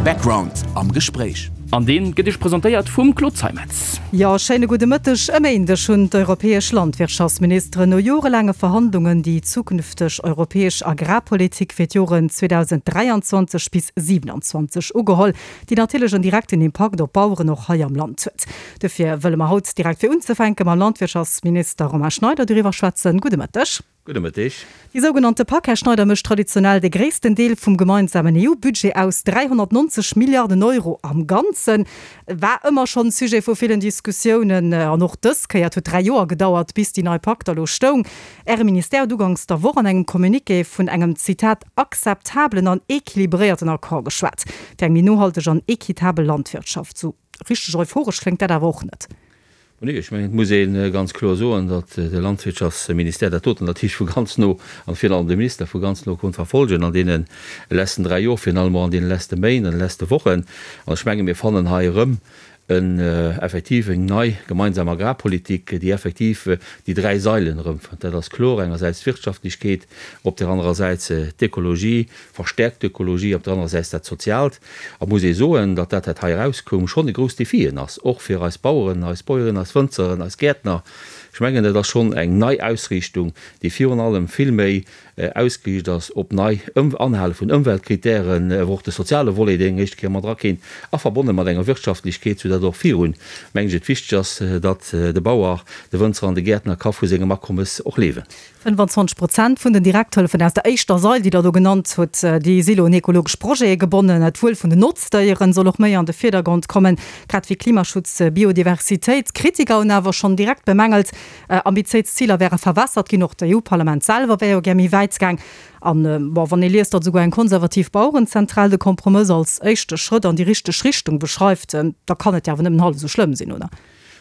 Background am Gespréich. An deen gëtt Iech presentéiert vum Claude Zeimetz. Jo, schéine gudde Mëtteg. E Méindeg hunn d'europäesch Landwirtschaftsministeren no jorelaange Verhandlungen déi zukünfteg europäesch Agrarpolitik fir d'Joren 2023 bis 27 ugeholl, déi natierlech en direkten Impakt op d'Baueren och hei am Land huet. Dofir wëlle mer haut direkt fir unzefänke mam Landwirtschaftsminister Romain Schneider doriwwer schwätzen. Gudde Mëtteg. Gudde Mëtteg. Déi sougenannte Pak, Här Schneider, mécht traditionell de gréissten Deel vum gemeinsamen EU-Budget aus, 390 Milliarden Euro am Ganzen. War ëmmer schonn Sujet vu villen Diskussiounen an och dës Kéier. Et huet 3 Joer gedauert, bis déi nei Pak da lo stoung. Äre Ministère huet uganks der Woch an engem Communiqué vun engem, Zitat, akzeptabelen an equilibréierten Accord geschwat, fir eng méi nohalteg an equitabel Landwirtschaft. Sou richteg euphoresch kléngt dat awer och net. Nee, ech mengen, et muss ee ganz kloer soen, datt de Landwirtschaftsministère dat doten natierlech vu ganz no, an virun allem de Minister vu ganz no konnt verfolgen an deene letzten 3 Jor, virun allem och an deene letzte Méint, an de letzte Wochen. An ech menge mir fannen hei erëm en effektiv eng nei gemeinsam Agrarpolitik, déi effektiv déi dräi Sailen erëmfënnt. Dat ass kloer, engersäits d'Wirtschaftlechkeet, op där anerer Säit d'Ekologie, verstärkt d'Ökologie, op der anerer Säit dat Soziaalt. A muss ee soen, datt dat, wat hei erauskoum, schonn e grouss Defien ass, och fir eis Baueren, eis Bäuerinnen, eis Wënzeren, eis Gäertner. Ech mengen, dat ass schonn eng nei Ausriichtung, déi virun allem vill méi ausgeriicht ass op nei Anhale vun Ëmweltkritären, wou och de soziale Volet eng éischte Kéier mat erakéint, a verbonne mat enger Wirtschaftlechkeet, soudatt och virun, mengen ech, et wichteg ass, datt de Bauer, de Wënzer an de Gäertner ka vu sengem Akommes och liewen. 25 Prozent vun den Direkthëllefen aus der éischter Sail, déi Der do genannt hutt, déi si elo un ekologesch Projete gebonnen. D'Wuel vun den Notzdéieren soll och méi an de Virdergrond kommen, grad wéi Klimaschutz, Biodiversitéit. Kritiker hunn awer schonn direkt bemängelt, ambitiéis Ziler wäre verwässert ginn. Och d'EU-Parlament selwer wär jo gär méi wäit gaang. An, bon, wann ee liest, datt esouguer eng konservativ Bauerenzentral de Kompromëss als éischte Schrëtt an déi richteg Richtung beschreift, da kann et jo awer nëmmen hallef esou schlëmm sinn, oder?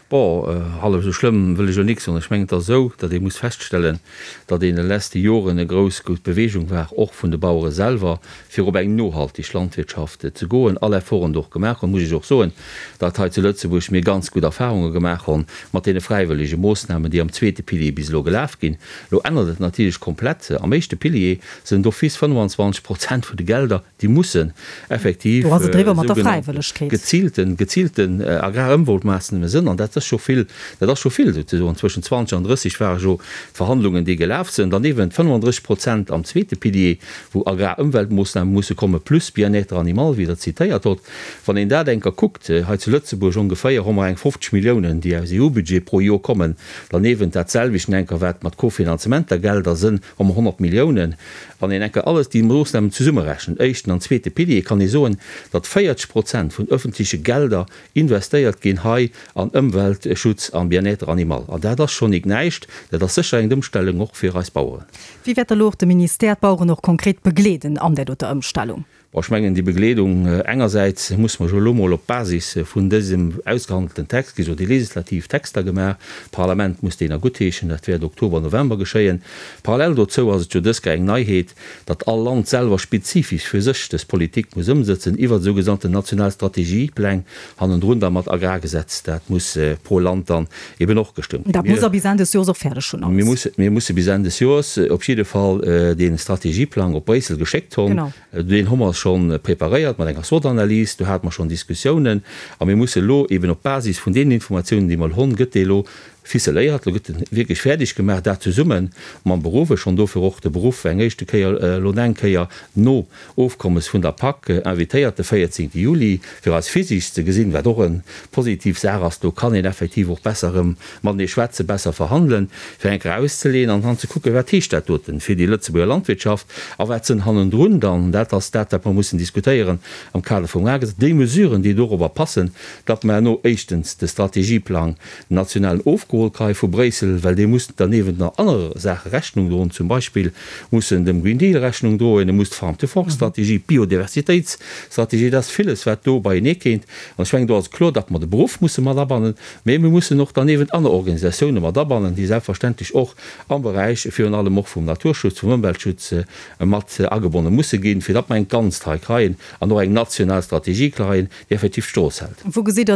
Bon, hallef esou schlëmm wëll ech elo nik soen. Ech mengen, et ass esou, datt ee muss feststellen, datt een de leschte Joren e grouss grouss Bewegung war, och vun de Bauere selwer, fir op eng nohaltig Landwirtschaft ze goen, all Efforten do och gemaach hunn. Muss ech och soen, datt hei zu Lëtzebuerg mir ganz gutt Erfahrunge gemaach hunn mat deene fräiwëllege Moossnamen, déi am zweete Pilier bis elo gelaf ginn. Elo ännert et natierlech komplett. Am éischte Pilier sinn d'office 25 Prozent vun de Gelder Déi mussen effektiv Do ass et eriwwer mat der Fräiwëllegkeet. geziilten, geziilten Agrarëmweltmaassname sënn. An dat ass scho vill, dat ass scho vill souzesoen. Zwëschen 20 an 30 ware jo d'Verhandlungen, déi gelaf sënn. Dann eeben 35 Prozent am zweete Pilier, wou Agrarëmweltmoossname musse komme plus Bien-être animal, wéi Der zitéiert hott. Wann een dat enker kuckt, hei zu Lëtzebuerg ongeféier hu mer eng 50 Milliounen, déi aus EU-Budget pro Jor kommen. Dann eeben dat selwechten enker, wat mat Kofinanzementergelder sënn, hu mer 100 Milliounen. Wann een enker alles déi Moossnamen zesummerechent, éischten an zweete Pilier, kann ee soen, datt 40 Prozent vun öffentleche Gelder investéiert ginn hei an Ëmweltschutz an Bien-être animal. An dat ass schonn nik näischt. Dat ass sécher eng Ëmstellung och fir eis Baueren. Wéi wäert da lo och de Ministère d'Baueren och konkret begleeden an där doter Ëmstellung? Bon, ech mengen, déi Begleedung, engersäits muss mer jo elo mol op Basis vun dësem ausgehandelten Text, gi jo déi legislativ Texter gemaach, d'Parlament muss déi nach guttheeschen, dat wäert Oktober, November geschéien. Parallel dozou ass et jo dës Kéier eng Neiheet, datt all Land selwer spezifesch fir sech dës Politik muss ëmsëtzen iwwert esou gesannten national Strategiepläng, hannendrun da mat Agrargesetz, dat muss pro Land dann eben och gestëmmt ginn. Dat muss Der bis Enn des Joers och fäerdeg hunn alles. Mir musse bis Enn des Joers op jidde Fall dee Strategieplang op Bréissel geschéckt hunn. Deen hu mer scho preparéiert mat enger SWOT-Analys, do hate mer schonn Diskussiounen a mir musse elo eben op Basis vun deenen Informatiounen, déi mer elo hunn, gëtt dee elo ficeléiert, elo gëtt en wierklech fäerdeg gemaach, dat zesumme mam Beruff. Ech hunn dofir och de Beruff eng éischte Kéier elo eng Kéier no Ofkommes vun der Pak invitéiert, de 14 Juli, fir eis physisch ze gesinn, wat och e positiv Saach ass. Do kann een effektiv och besser erëm matenee schwätzen, besser verhandelen, fir eng Kéier auszeleeën an dann ze kucken, wat heescht dat doten fir déi Lëtzebuerger Landwirtschaft a wat sënn hannendrun dann, dat ass dat, wat mer mussen diskutéieren am Kader vum Agrargesetz, déi Mesuren, déi dorobber passen, datt mer herno éischtens de Strategieplang nationalen ofgeholl kréie vu Bréissel, well dee muss derniewent nach anere Saache Rechnung droen, zum Beispill muss en dem Green Deal Rechnung droen, e muss d'Farm-to-Fork-Strategie, d'Biodiversitéitsstrategie, dat ass villes, wat do beienee kéint. An ech mengen, do ass et kloer, datt mer de Beruff musse mat abannen, mee mir mussen och derniewent aner Organisatioune mat abannen, déi selbstverständlech och am Beräich virun allem och vum Naturschutz, vum Ëmweltschutz mat agebonne musse ginn, fir datt mer eng Ganzt hei kreien an och eng national Strategie kreien, déi effektiv d'Strooss hält. Wou gesitt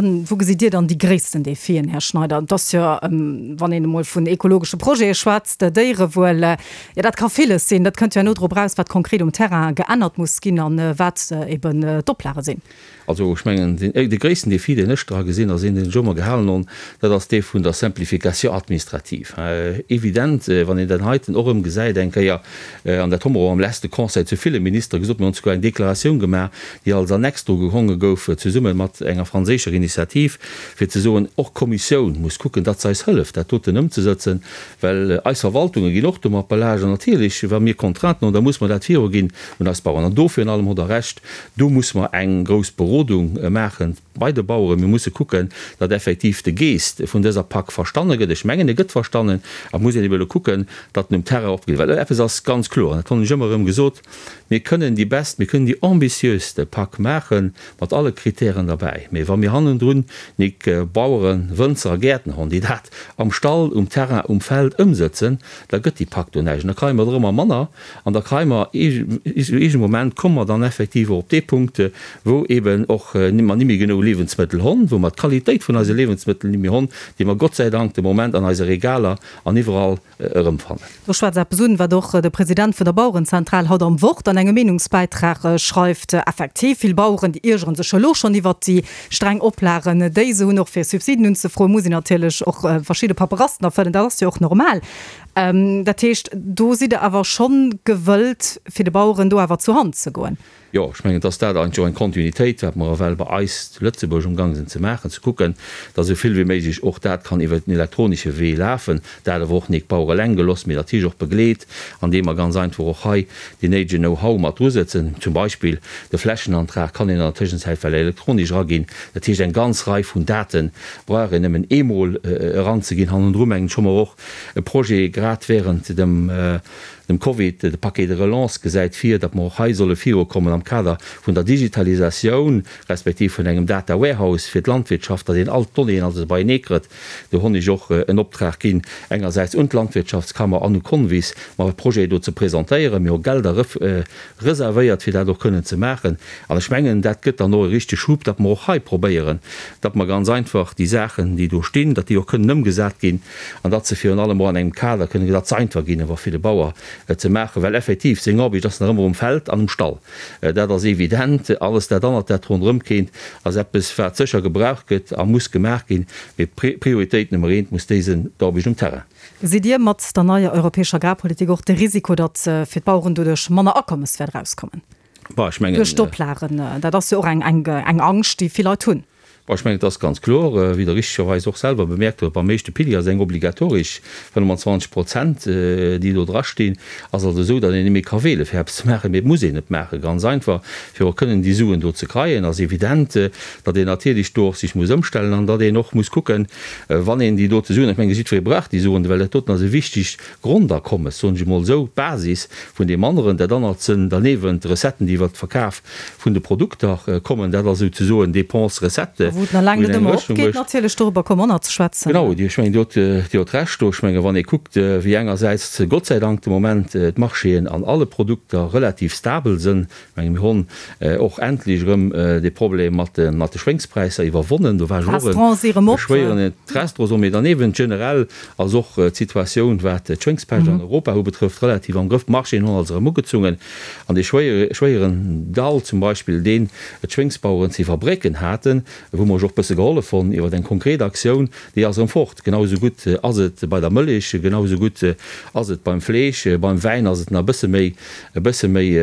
Dir dann déi gréissten Defien, Här Schneider? Et ass jo. Wann een emol vun ekologesche Projete schwätzt, Déierewuel, jo dat ka villes sinn. Dat kënnt jo herno drop eraus, wat konkret um Terrain geännert muss ginn an wat eben d'Oplage sinn. Also ech mengen, dee gréissten Défi, deen ech dra gesinn, ass een, deen ech ëmmer gehalen hunn, dat ass dee vun der Simplification administrative. Evident, wann een dat heiten och erëm gesäit eng Kéier, an dat hu mer och am leschte Conseil zu ville Ministere gesot, mir hunn souguer eng Deklaratioun gemaach, déi als Annex dru gehonge gouf, zesumme mat enger franséischer Initiativ, fir ze soen, och d'Kommissioun muss kucken, datt se eis hëlleft, dat doten ëmzesëtzen, well eis Verwaltunge ginn och domat belaascht. An natierlech, wa mir Contrainten hunn, da muss mer dat viruginn un eis Bauern. An do virun allem hutt Der Recht, Do musse mer eng grouss Berodung maache bei de Baueren. Mir musse kucken, datt effektiv de Geest vun dëser Pak verstanne gëtt. Ech mengen, e gëtt verstannen. A et muss een ebe elo kucken, datt en um Terrain opgeet. Well eppes ass ganz kloer, an dat hunn ech ëmmer erëm gesot, Mir kënnen déi best, mir kënnen déi ambitiöste Pak maache mat alle Kritären derbäi, mee wa mir hannendrun nik Baueren, Wënzer a Gäertner hunn, déi dat am Stall, um Terrain, um Feld ëmsëtzen, da gëtt déi Pak do näischt. An da kréie mer der ëmmer manner. An da kréie mer iergend e Moment komme mer dann effektiv och op dee Punkt, wou eeben och mer ni méi genou Liewensmëttel honn, wou mer d'Qualitéit vun eise Liewensmëttel ni méi honn, déi mer Gott sei Dank de Moment an eise Regaler an iwwerall erëmfannen. Do schwätzt eppes un, wat och de President vun der Bauerenzentral haut am Wort an engem Meenungsbäitrag schreift. Effektiv, vill Baueren, déi iergere sech elo schonn iwwert déi streng Oplagen, déi se hunn, och fir Subsiden unzefroen, muss een natierlech och verschidde Paperassen erfëllen. Dat ass jo och normal. Dat heescht, do sidd Der awer schonn gewëllt, fir de Baueren do awer zur Hand ze goen? Jo, ech mengen, et ass dat eigentlech och eng Kontinuitéit, wat mer ewell bei eis zu Lëtzebuerg umgang sinn ze maachen, ze kucken, datt esou vill wéi méiglech och dat kann iwwert den elektronische Wee lafen, dat awer och nik d'Bauere eleng gelooss, mee natierlech och begleet, andeem mer ganz einfach och hei deen néidegen Know-how mat drusëtzen. Zum Beispill de Flächenantrag kann een an der Tëschenzäit well elektronesch eraginn. Dat heescht, eng ganz Rei vun Date brauch een nëmmen eemol eranzeginn. Hannendru mengen ech hu mer och e Projet grad während dem dem Covid, de Paquet de relance gesäit vir, datt mer och hei solle virukommen am Kader vun der Digitalisatioun, respektiv vun engem Data Warehouse fir d'Landwirtschaft, datt een all d'Donnéeën also beienee kritt. Do honn ech och en Optrag ginn, engersäits un d'Landwirtschaftskammer an u Convis, mer e Projet do ze presentéieren. Mir hu Gelder reservéiert, fir dat och kënnen ze maachen. An ech mengen, dat gëtt dann och e richtege Schub, datt mer och hei probéieren, datt mer ganz einfach déi Saachen, déi do stinn, datt déi och kënnen ëmgesat ginn an datt se virun allem och an engem Kader kënnen, datt se einfach ginn awer fir de Bauer ze maachen, well effektiv seng Aarbecht ass nach ëmmer um Feld an um Stall. Dat ass evident. Alles dat anert, dat ronderëm kéint, ass eppes, wat sécher gebraucht gëtt a muss gemaach ginn, mee Prioritéit Nummer eent muss déi sinn, d'Aarbecht um Terrain. Gesitt Dir mat der neier europäescher Agrarpolitik och de Risiko, datt fir d'Baueren doduerch manner Akommes wäert erauskommen? Duerch d'Oplagen? Dat ass jo och eng Angscht, déi vill Leit hunn. Bon, ech mengen, et ass ganz kloer, wéi Der richtegerweis och selwer bemerkt hutt, beim éischte Pilier ass eng obligatoresch 25 Prozent, déi do drastinn. Ass also esou, datt een net méi ka wéele fir eppes ze maachen, mee et muss een et maachen, ganz einfach, fir och kënnen déi Suen do ze kreien. Ass evident, datt een natierlech do och sech muss ëmstellen an datt een och muss kucken, wann een déi dote Suen, ech menge jiddweree brauch déi Suen, well dat doten ass e wichtegt Grondakommes, soen ech emol esou, d'Basis vun deem aneren, dat anert sënn derniewent d'Recetten, déi iwwert de Verkaf vun de Produkter kommen, dat ass souzesoen Dépense-Recette, A wou et nach laang net ëmmer opgeet, natierlech, dorobber komme mer nach ze schwätzen. Genau, ech mengen, Dir hutt, Dir hutt Recht do. Ech menge wann ee kuckt, wéi engersäits Gott sei Dank de Moment d'Marchéen an alle Produkter relativ stabel sënn, ech menge mir honn och endlech erëm dee Problem mat de, mat de Schwéngspräisser iwwerwonnen, do war ech och e schwéieren Restaurants si mee derniewent generell ass och d'Situatioun, wat d'Schwéngspescht an Europa ubetrëfft, relativ am Grëff. D'Marchéen hunn also erëm ugezungen an dee schwéieren Dall zum Beispill, deen d'Schwéngsbaueren ze iwwerbrécken haten, wou mer ech och bësse gehollef honn iwwer eng konkret Aktioun, déi ass erëm fort. Genau esou gutt ass et bei der Mëllech, genau esou gutt ass et beim Fleesch, beim Wäin ass et nach e bësse méi, e bësse méi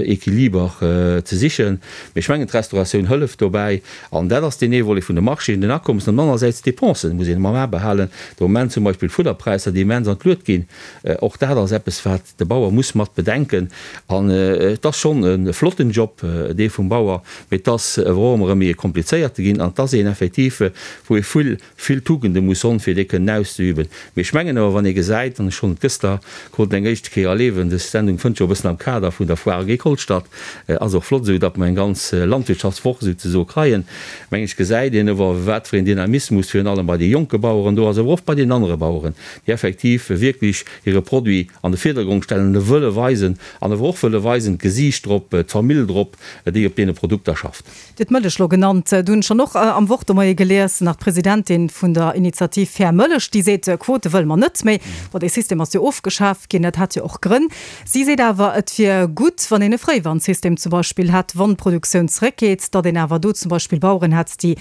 Equiliber ze sichen. Mee ech mengen, d'Restauratioun hëlleft dobäi. An dat ass deen ee Volet vun de Marchéen, den Akommes. An anersäits d'Dépensen muss een ëmmer am A behalen. De Moment zum Beispill d'Fudderpräisser, déi immens an d'Luet ginn. Och dat ass eppes, wat de Bauer muss mat bedenken. An et ass schonn e flotten Job, dee vum Bauer, mee et ass awer och ëmmer erëm méi e komplizéierte ginn. An et ass een effektiv, wou ee vill vill Tugende muss honn, fir dee kënnen auszeüben. Mee ech mengen awer, wann ee gesäit, an ech hunn et gëster krut eng éischte Kéier erlewen, dës Sendung fënnt jo e bëssen am Kader vun der Foire Agricole statt, ass och flott esou, datt mer eng ganz Landwirtschaftswoch souzesoe kreien, mengen ech, gesäit een awer, wat fir een Dynamismus virun allem bei de jonke Baueren do ass, awer och bei den anere Baueren, déi effektiv wierklech hire Produit an de Virdergrond stellen, e wëlle weisen an awer och wëlle weisen, d'Gesiicht drop, d'Famill drop, déi op deene Produkter schafft. Dir hutt d'Mëllech elo genannt, do hunn ech dann och. och am Wort de Moie gelies, nach d'Presidentin vun der Initiativ Fair Mëllech, déi seet, Quote wëlle mer net méi. Bon, dee System ass jo ofgeschaf ginn, dat hat jo och Grënn. Si seet awer, et wier gutt, wann een e Fréiwarnsystem zum Beispill hätt, wann d'Produktioun zeréckgeet, datt een awer do zum Beispill Baueren hätt, déi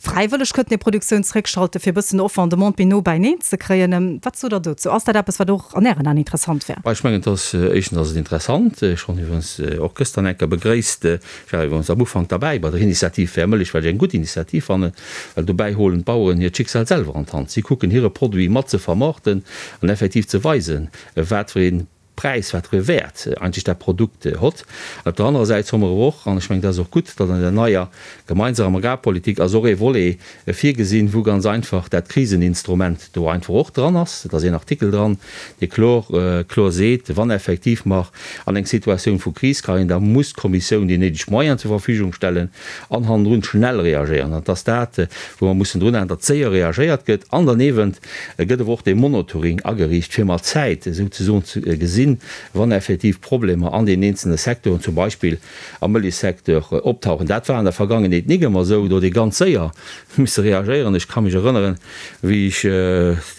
fräiwëlleg kënnten hir Produktioun zeréckschalten, fir e bëssen Offre an Demande méi no beineen ze kréien. Wat sot Der dozou? Ass dat eppes, wat och an Ären Aen interessant wär? Ech mengen, et ass, éischtens ass et interessant. Ech hunn iwwerens och gëschter eng Kéier begréisst, ech war iwwerens am Ufank derbäi bei der Initiativ Fair Mëllech, well ech eng gutt Initiativ fannen, well dobäi holen d'Baueren hiert Schicksal selwer an d'Hand. Si kucken hire Produit mat ze vermaarten an effektiv ze weisen, wat fir ee Präis, wat fir e Wäert eigentlech dat Produkt hott. An op der anerer Säit soe mer awer och, an ech mengen, dat ass och gutt, datt an der neier gemeinsamer Agrarpolitik ass och ee Volet virgesinn, wou ganz einfach dat Kriseninstrument do einfach och dran ass. Et ass een Artikel dran, dee klor, klor seet, wann effektiv mer an eng Situatioun vu Kris kréien, da muss d'Kommissioun déi néideg Moyenen zur Verfügung stellen an hannendrun schnell reagéieren. An et ass dat, wou mer mussen drun halen, datt séier reagéiert gëtt an derniewent Et gëtt awer och dee Monitoring ageriicht, fir mat Zäit souzesoen ze gesinn, wann effektiv Problemer an deenen eenzelne Secteuren, zum Beispill am Mëllechsecteur, optauchen. Dat war an der Vergangenheet nik ëmmer esou. Do huet ee ganz séier misse reagéieren. Ech ka mech erënneren, wéi ech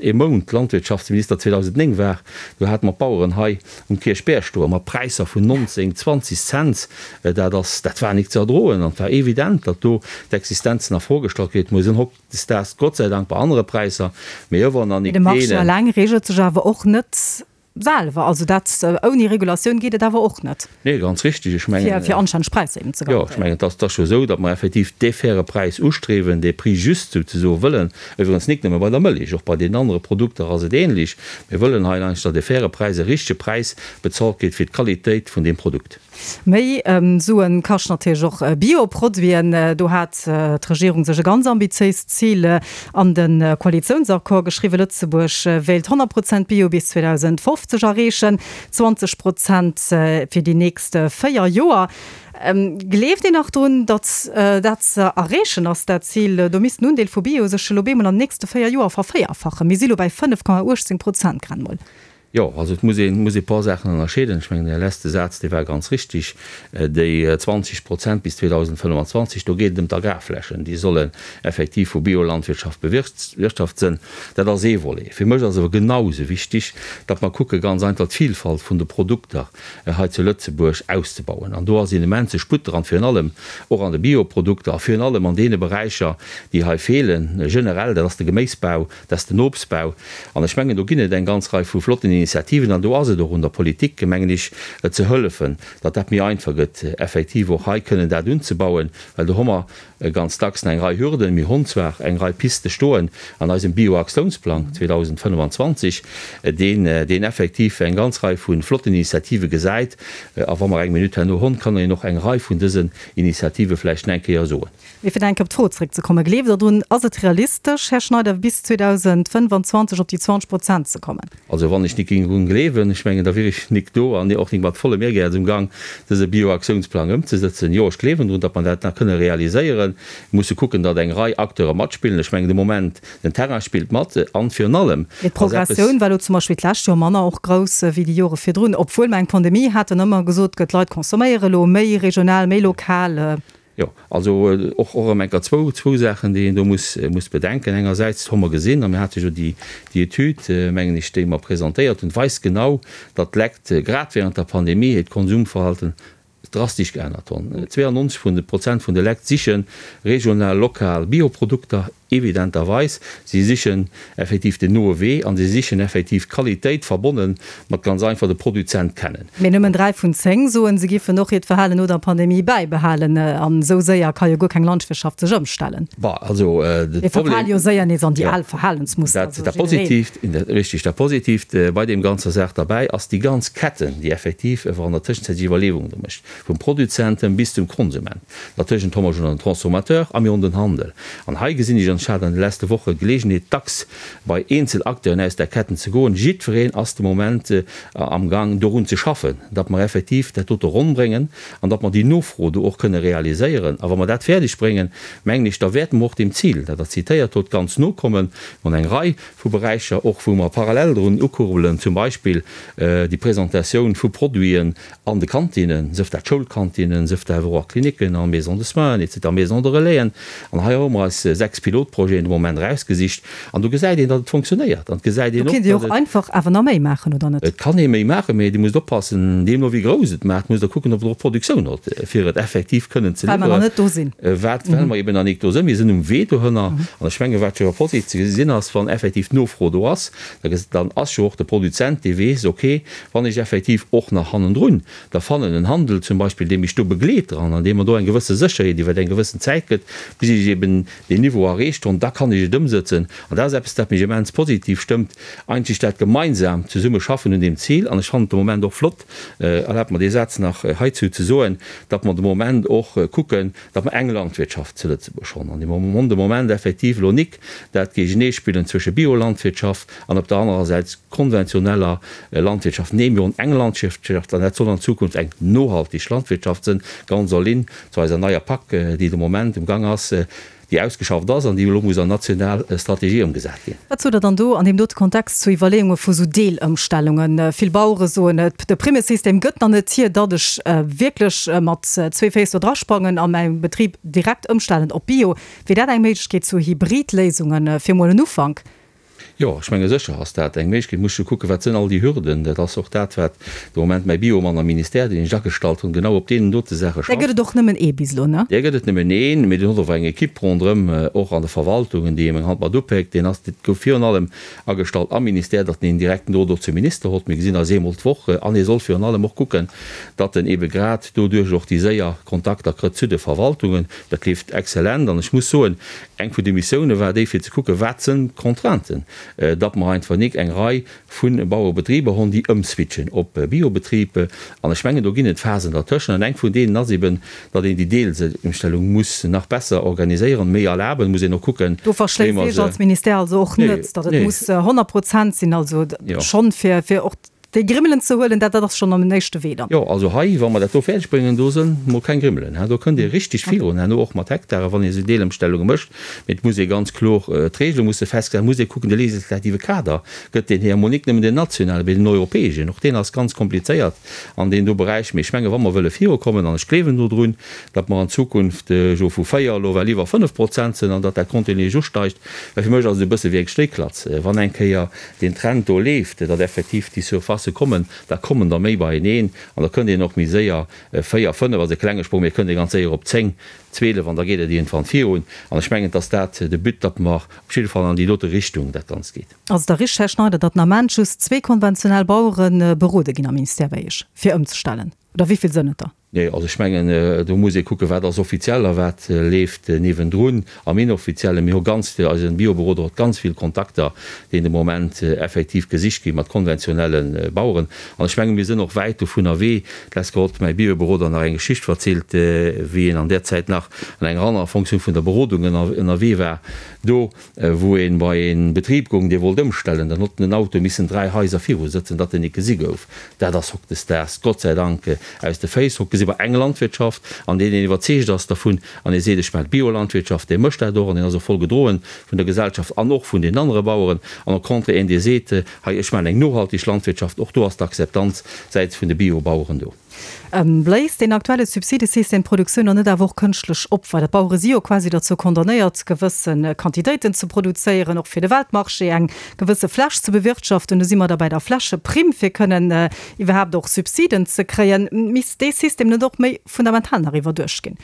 ee Mount Landwirtschaftsminister 2009 war, do hate mer d'Baueren hei um Kierchberg stoe mat Präisser vun 19, 20 Cents. Dat ass, dat war nik ze erdroen an et war evident, datt do d'Existenzen a Fro gestallt ginn. Et muss een Hautdesdaags Gott sei Dank bei anere Präisser, mee ëwer nach nik Mee de Marché deenen. eleng reegelt sech awer och net selwer. Also dat, ouni Regulatioun geet et awer och net. Nee, ganz richtig. Ech mengen. Fir anstänneg Präisser eben ze Jo, ech garantéieren. mengen, et ass, et ass jo esou, datt mer effektiv dee faire Präis ustriewen, dee Prix juste souzesoe wëllen. Iwwerens nik nëmme bei der Mëllech, och bei deenen anere Produkter ass et ähnlech. Mir wëllen hei eigentlech, datt e faire Präis, e richtege Präis bezahlt gétt fir d'Qualitéit vun deem Produkt. Méi Suen kascht natierlech och Bio-Produiten. Do hat d'Regierung sech e ganz ambitiéist Zil an de Koalitiounsaccord geschriwwen, Lëtzebuerg wéilt 100 Prozent Bio bis 2050 erreechen, 20 Prozent fir déi nächst 4 Joer. Gleeft een nach drun, datt dat ze erreechen ass, dat Zil? Do misst den Undeel vu Bio sech elo bemol an den nächste 4 Joer vervéierfachen. Mir si lo bäi 5,18 Prozent grad mol. Jo, also et muss een, muss ee paar Saachen ënnerscheeden. Ech mengen, Är leschte Saz, dee war ganz richtig. Déi 20 Prozent bis 2025, do geet et ëm d'Agrarflächen, déi sollen effektiv vu Biolandwirtschaft bewirtschaft sënn. Dat ass ee Volet. Fir mech ass awer genau esou wichtig, datt mer kucke ganz einfach d'Vilfalt vun de Produkter hei zu Lëtzebuerg auszebauen. An do ass een immense Sputt dran, virun allem och an de Bioprodukter a virun allem an deene Beräicher, déi hei feelen generell, dat ass de Geméisbau, Dat ass den Obstbau. An ech mengen, do ginn et eng ganz Rei vu flotten Initiativen. An do ass et och un der Politik, mengen ech, ze hëllefen, datt dat méi einfach gëtt, effektiv och hei kënnen dat unzebauen, well do hu mer ganz dacks nach eng Rei Hürden. Mir hunn zwar eng Rei Piste stoen an eisem Bioaktiounsplang 2025, deen, deen effektiv eng ganz Rei vu flotten Initiative gesäit. A wa mer eng Minutt herno hunn, kann een och eng Rei vun dësen Initiative vläicht nach eng Kéier soen. Mee fir nach eng Kéier op d'Fro zréckzekommen, Gleeft Der drun, ass et realistesch, Här Schneider, bis 2025 op déi 20 Prozent ze kommen? Also wann ech nik géing drun gleewen, ech mengen, da wier ech nik do an och nik mat vollem Ehrgäiz um Gang, dëse Bioaktiounsplang ëmzesëtzen. Jo, ech gleewen drun, datt mer dat nach kënne realiséieren. Mir musse kucken, datt eng Rei Acteure matspillen. Ech mengen de Moment, den Terrain spillt mat an virun allem Mee ass eppes. d'Progressioun war elo zum Beispill d'lescht Joer manner och grouss wéi déi Jore virdrun, obwuel mer eng Pandemie haten, ëmmer gesot gëtt, d'Leit consomméiere elo méi regional, méi lokal. Jo, also och erëm eng Kéier zwou, zwou Saachen, déi een do muss, muss bedenken. Engersäits hu mer gesinn, a mir hate jo déi, déi Etüd, mengen ech, déi mer presentéiert hunn, weist genau, datt d'Lekt grad während der Pandemie hiert Konsumverhalten drastesch geännert hunn. 92 vun de Prozent vun de Lekt siche regional, lokal Bioprodukter. Evidenterweis, si sichen effektiv den noe Wee an si sichen effektiv d'Qualitéit, verbonne mat ganz einfach de Produzent kennen. Mee nëmmen 3 vun 10 soen, se giffen och hiert Verhalen no der Pandemie bäibehalen. An esou séier ka jo guer keng Landwirtschaft sech ëmstellen. Bah, also de Mir verfale jo séier nees an déi al Verhalensmuster. Dat, dat Positiivt, richtig, dat Positiivt bei deem ganzer Saach derbäi ass déi ganz Ketten, déi effektiv ewer an der Tëschenzäit sech Iwwerleewungen do mécht, vum Produzenten bis zum Konsument. Dertëschent hu mer schon den Transformateur a mir hunn den Handel. An hei gesinn ech an. ech hat an de leschte Woche Geleegenheet, dacks bei eenzel Acteuren aus där Ketten ze goen, jiddwereen ass de Moment amgang dorun ze schaffen, datt mer effektiv dat dote ronn bréngen an datt mer déi Nofro do och kënne realiséieren. A wa mer dat fäerdeg bréngen, mengen ech, da wäerte mer och deem Zil, dat Der zitéiert hutt, ganz no kommen. Mer hunn eng Rei vu Beräicher och, wou mer parallel drun ukurbelen, zum Beispill déi Presentatioun vu Produiten an de Kantinnen, sëf dat Schoulkantinnen, sëf dat awer och a Klinicken, a Maisons de soins, et cetera, Maisons de relaisen. An hei hu mer eis 6 Pilotprojeten de Moment erausgesicht an do gesäit een, datt et fonctionnéiert an et gesäit een och, datt et. Do kéint ee och einfach awer nach méi maachen, oder net? Et kann ee méi maachen, mä Dir musst oppassen, deemno wéi grouss et maacht, musst Der kucken, ob Der och Produktioun hutt, fir et effektiv kënnen ze liwweren. Well mer nach net do sinn. Wat, well mer eben nach nik do sinn. Mir sinn um Wee dohënner. An ech menge wat jo positiv ze gesinn ass, wann effektiv d'Nofro do ass, dann ass jo och de Produzent, dee weess, okay, wann ech effektiv och nach hannendrun da fannen en Handel zum Beispill, dee mech do begleet dran an dee mer do eng gewësse Sécherheet iwwer eng gewëssen Zäit gëtt, bis ech eben deen Niveau erreecht hunn, da kann ech et ëmsëtzen. An dat ass eppes, dat mech immens positiv stëmmt, eigentlech dat gemeinsam Zesummeschaffen un deem Zil. An ech fannen et de Moment och flott, erlaabt mer dee Saz nach heizou ze soen, datt mer de Moment och kucken, datt mer eng Landwirtschaft zu Lëtzebuerg hunn an déi mer de Moment effektiv elo nik dat Géigeneespillen zwësche Biolandwirtschaft an op der anerer Säit konventioneller Landwirtschaft. Nee, mir hunn eng Landwirtschaft an dat soll an Zukunft eng nohaltig Landwirtschaft sënn, ganz en ligne zu eiser neier Pak, déi de Moment um Gang ass. déi ausgeschafft ass an déi elo muss an national Strategie ëmgesat ginn. Wat sot Der dann do an deem dote Kontext zu Iwwerleeunge vu sou Deelëmstellungen? Vill Bauere soen, de Primmesystem gëtt nach net hier, datt ech wierklech mat zwee Féiss do drasprangen a mäi Betrib direkt ëmstellen op Bio. Wier dat eng Méiglechkeet zu Hybridléisungen, fir mol en Ufank? Jo, ech menge sécher ass dat eng Méiglechkeet. Muss jo kucken, wat sënn all déi Hürden. Dat ass och dat, wat de Moment mäi Biomann am Ministère, deen ech agestallt hunn, genau op deenen dote Saache schafft. Där gëtt et och nëmmen ee bis elo, ne? Där gëtt et nëmmen een, mee deen huet och eng Equipe ronderëm, och an de Verwaltungen, déi him eng Hand mat upéckt. Deen ass, dee gouf virun allem agestallt am Ministère, datt en een direkten Drot och zum Minister hott. Mir gesinn eis eemol d'Woch an hie soll virun allem och kucken, datt en eebe grad doduerch och déi séier Kontakter krëtt zu de Verwaltungen. Dat leeft exzellent an ech muss soen, Eng vun de Missioune war déi, fir ze kucken, wat sënn d'Contrainten, datt mer einfach nik eng Rei vu Bauerebetriber honn, déi ëmswitchen op Biobetrib. An ech mengen, do ginn et Phasen dertëschent. An eng vun deenen ass eben, datt een déi Deelëmstellung muss nach besser organiséieren, méi erlaben, muss een och kucken, Do wéi mer verschléisst Iech se. als Ministère also och net, datt et muss 100 Prozent sinn, also schonn fir och Déi Grimmelen ze huelen, dat ass schonn am éischte Wee dann. Jo, also hei, wa mer dat do fäerdeg bréngen, do sënn mol keng Grimmelen, hein, do kënnt ee richtig virun herno, och mat Hektaren, wann ee esou Deelëmstellunge mécht. Mee et muss ee ganz kloer, d'Regele musse festgesat, muss ee kucken, de legislative Kader gëtt deen hier, emol nik nëmmen deen nationalen, mee den europäeschen, och deen ass ganz komplizéiert an deem do Beräich. Mee ech menge wa mer wëlle virukommen, an ech gleewen dodrun, datt mer an Zukunft jo vu 4 elo well iwwer 5 Prozent sënn an datt dat kontinuierlech usteigt, well fir mech ass et e bësse wéi eng Schnéiklatz, wann eng Kéier deen Trend do leeft, datt effektiv déi Surfacë kommen, da kommen der méi beieneen an da kënnt een och méi séier, 4, 5 ass e klenge Sprong, mee et kënnt ee ganz séier op 10, 12 an da geet et iergendwann virun. An ech mengen, et ass dat de But, datt mer op jidde Fall an déi dote Richtung dat Ganzt geet. Ass et da richteg, Här Schneider, datt den Ament just zwee konventionell Bauere berode ginn am Ministère bei Iech, fir ëmzestellen? Oder wéi vill sënn et der? Nee, also ech mengen, do muss ee kucken, wat ass offiziell a wat leeft niewendrun am Inoffiziellen. Mir hu ganz vill, eisen Bioberoder huet ganz vill Kontakter, déi de Moment effektiv gesicht gi mat konventionelle Baueren. An ech menge mir sinn och wäit dovun ewee. D'lescht Woch huet mäi Bioberoder nach eng Geschicht verzielt, wéi en an där Zäit nach an enger anerer Fonctioun vun der Berodung ënnerwee war. Do wou een bei een Betrib goung, dee wollt ëmstellen, dann hott den Auto missen 3 Haiser viru sëtzen, datt en nik gesi gouf. Dat ass hocdesdaags Gott sei Dank aus de Féiss. Hock gesi mer eng Landwirtschaft, an deen een iwwerzeegt ass dervun, an ee seet, ech maachen Biolandwirtschaft, dee mécht dat och, an deen ass och voll gedroen vun der Gesellschaft an och vun den anere Baueren. An au contraire een, dee seet, hei ech maachen eng nohaltig Landwirtschaft, och do ass d'Akzeptanz säits vun de Biobaueren do. Bléist deen aktuelle Subsidesystem d'Produktioun dann net awer och kënschtlech op? Well d'Bauere si jo quasi derzou condamnéiert, gewësse Quantitéiten ze produzéieren, och fir de Weltmarché eng gewësse Fläch ze bewirtschaften. Do si mer da bei der Flächeprimm, fir kënnen iwwerhaapt och Subsiden ze kréien. Misst dee System net och méi fundamental nach iwwerduecht ginn?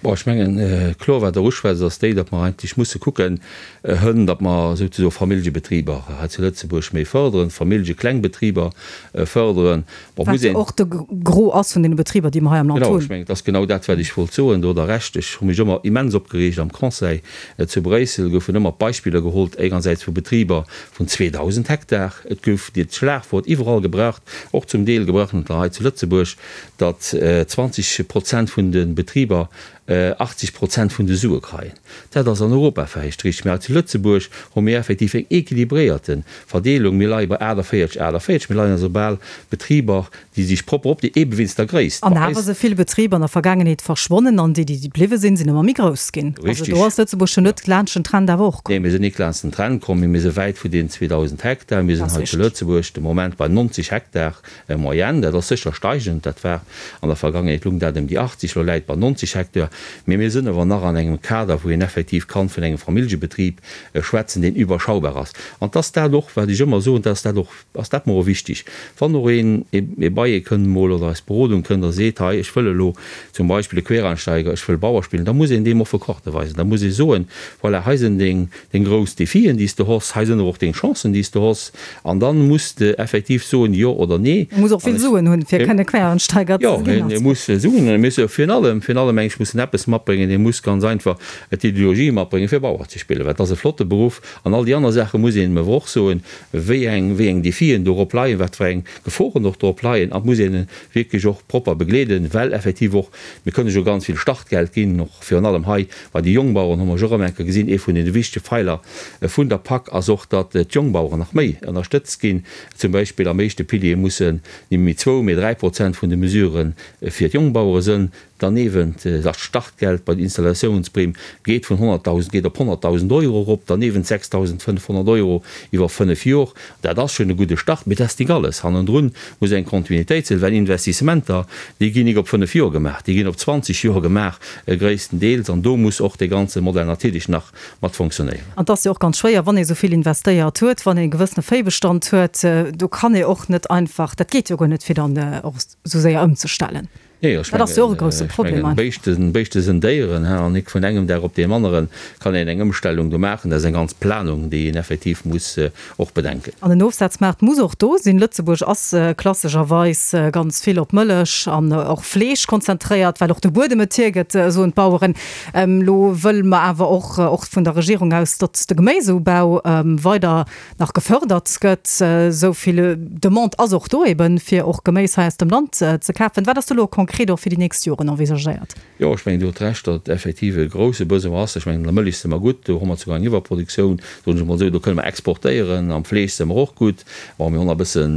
Bon, ech mengen, kloer, wat Der uschwätzt, ass déi, datt mer eigentlech musse kucken, hënn, datt mer souzesoe Familljebetriber hei zu Lëtzebuerg méi fërderen, Familljeklengbetriber fërderen. Bon, muss een. Wat jo och de Gros ass vun deene Betriber, déi mer hei am Land hunn. Genau, ech mengen, et ass genau dat, wat ech wollt soen. Do hutt Der Recht. Ech hu mech ëmmer immens opgereegt am Conseil zu Bréissel goufen ëmmer d'Beispiller gehollt, engersäits vu Betriber vun 2.000 Hektar, et gouf dat Schlagwort iwwerall gebraucht, och zum Deel gebraucht hei zu Lëtzebuerg, datt 20 Prozent vun de Betriber. 80 Prozent vun de Sue kreien. Dat ass an Europa vläicht richteg, mä hei zu Lëtzebuerg hu mir effektiv eng équilibréierte Verdeelung. Mir leie bei 48, 48. Mir leien also bal Betriber, déi sech propper op, déi eebe wéinst der Gréisst An bei awer eis. si vill Betriber an der Vergaangenheet verschwonnen an déi, déi bliwwe sinn, sinn ëmmer méi grouss ginn. Also do ass Lëtzebuerg jo net laanscht den Trend awer och komm. Nee, mir sinn nik laanscht den Trend komm, mee mir si wäit vu deenen 2.000 Hektar. Mir sinn hei zu Lëtzebuerg de Moment bei 90 Hektar en moyenne. Dat ass sécher steigend, dat war an der Vergangenheet lung dat ëm déi 80, elo läit et bei 90 Hektar. Mee mir sinn awer nach an engem Kader, wou een effektiv kann vun engem Familljebetrib schwätzen, deen überschaubar ass. An 't ass dat och, wat ech ëmmer soen, 't ass dat och, ass dat mer och wichtig, wann och een ee bei ee kënnt emol oder eis Berodung kënnt a seet, hei ech wëll elo zum Beispill e Quereinsteiger, ech wëll Bauer spillen, da muss een deem offen Karte weisen. Da muss ee soen, voilà, hei sinn deng, deng grouss Defien, déi s de hoss, hei sinn awer och deng Chancen, déi s de hoss. An dann muss de effektiv soen, jo oder nee. E muss och vill Suen hunn, fir kënne Quereinsteiger ze ginn. Jo, e muss Suen hunn. E muss virun allem, virun allem mengen ech, muss en eppes matbréngen, e muss ganz einfach d'Ideologie matbréngen, fir Bauer ze spillen, well et ass e flotte Beruff. An all déi aner Saache muss een em awer och soen, wéi eng, wéi eng Defien dorop leien, wat fir eng Geforen och dorop leien. An et muss een e wierklech och propper begleeden, well effektiv och, mir kënne jo ganz vill Startgeld ginn, och virun allem hei bei de Jongbaueren hu mer jo erëm eng Kéier gesinn, ee vun deene wichtege Pfeiler vun der Pak ass och, datt d'Jongbaueren nach méi ënnerstëtzt ginn. Zum Beispill am éischte Pilier mussen ni méi zwou, mee 3% vun de Mesurë fir d'Jongbauere sënn. Derniewent, dat Startgeld bei der Installatiounsprimm geet vun 100.000, geet op 100.000 Euro erop, derniewent 6.500 Euro iwwer fënnef Jor. Dat ass schonn e gudde Start, mee dat ass nik alles. Hannendrun muss eng Kontinuitéit sinn, well Investissementer, déi ginn nik op fënnef Jor gemaach, déi ginn op 20 Jor gemaach gréisstendeels, an do muss och dee ganze Modell natierlech nach mat fonctionnéieren. An et ass jo och ganz schwéier, wann ee sou vill investéiert huet, wann ee e gewëssene Véibestand huet, do kann ee och net einfach, dat geet jo guer net, fir dann och esou séier ëmzestellen. Nee, ech mengen, Béischten, Béischte sënn Déieren, hein, an nik vun engem Dag op deem anere kann een eng Ëmstellung do maachen. Dat ass eng ganz Planung, déi een effektiv muss och bedenken. An den Ofsazmaart muss och do sinn. Lëtzebuerg ass klassescherweis ganz vill op Mëllech an och Fleesch konzentréiert, well och de Buedem et hiergëtt, soen d'Baueren. Elo wëlle mer awer och, och vun der Regierung aus, datt de Geméiseubau weider nach gefördert gëtt. Esou vill Demande ass och do eben, fir och Geméis hei aus dem Land ze kafen. Wat ass do elo konkret och fir déi nächst Joren envisagéiert? Jo, ech mengen, Dir hutt Recht, datt effektiv e grouse Besoin ass. Ech mengen, an der Mëllech si mer gutt, do hu mer souguer eng Iwwerproduktioun, soen ech emol esou, do kënne mer exportéieren. Am Fleesch si mer och gutt. Bon, mir hunn nach e bëssen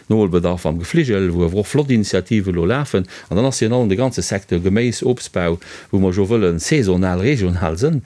Noholbedarf am Gefligel, wou awer och flott Initiative elo lafen. An dann ass virun allem de ganze Secteur Geméis, Obstbau, wou mer jo wëlle saisonal, regional sënn.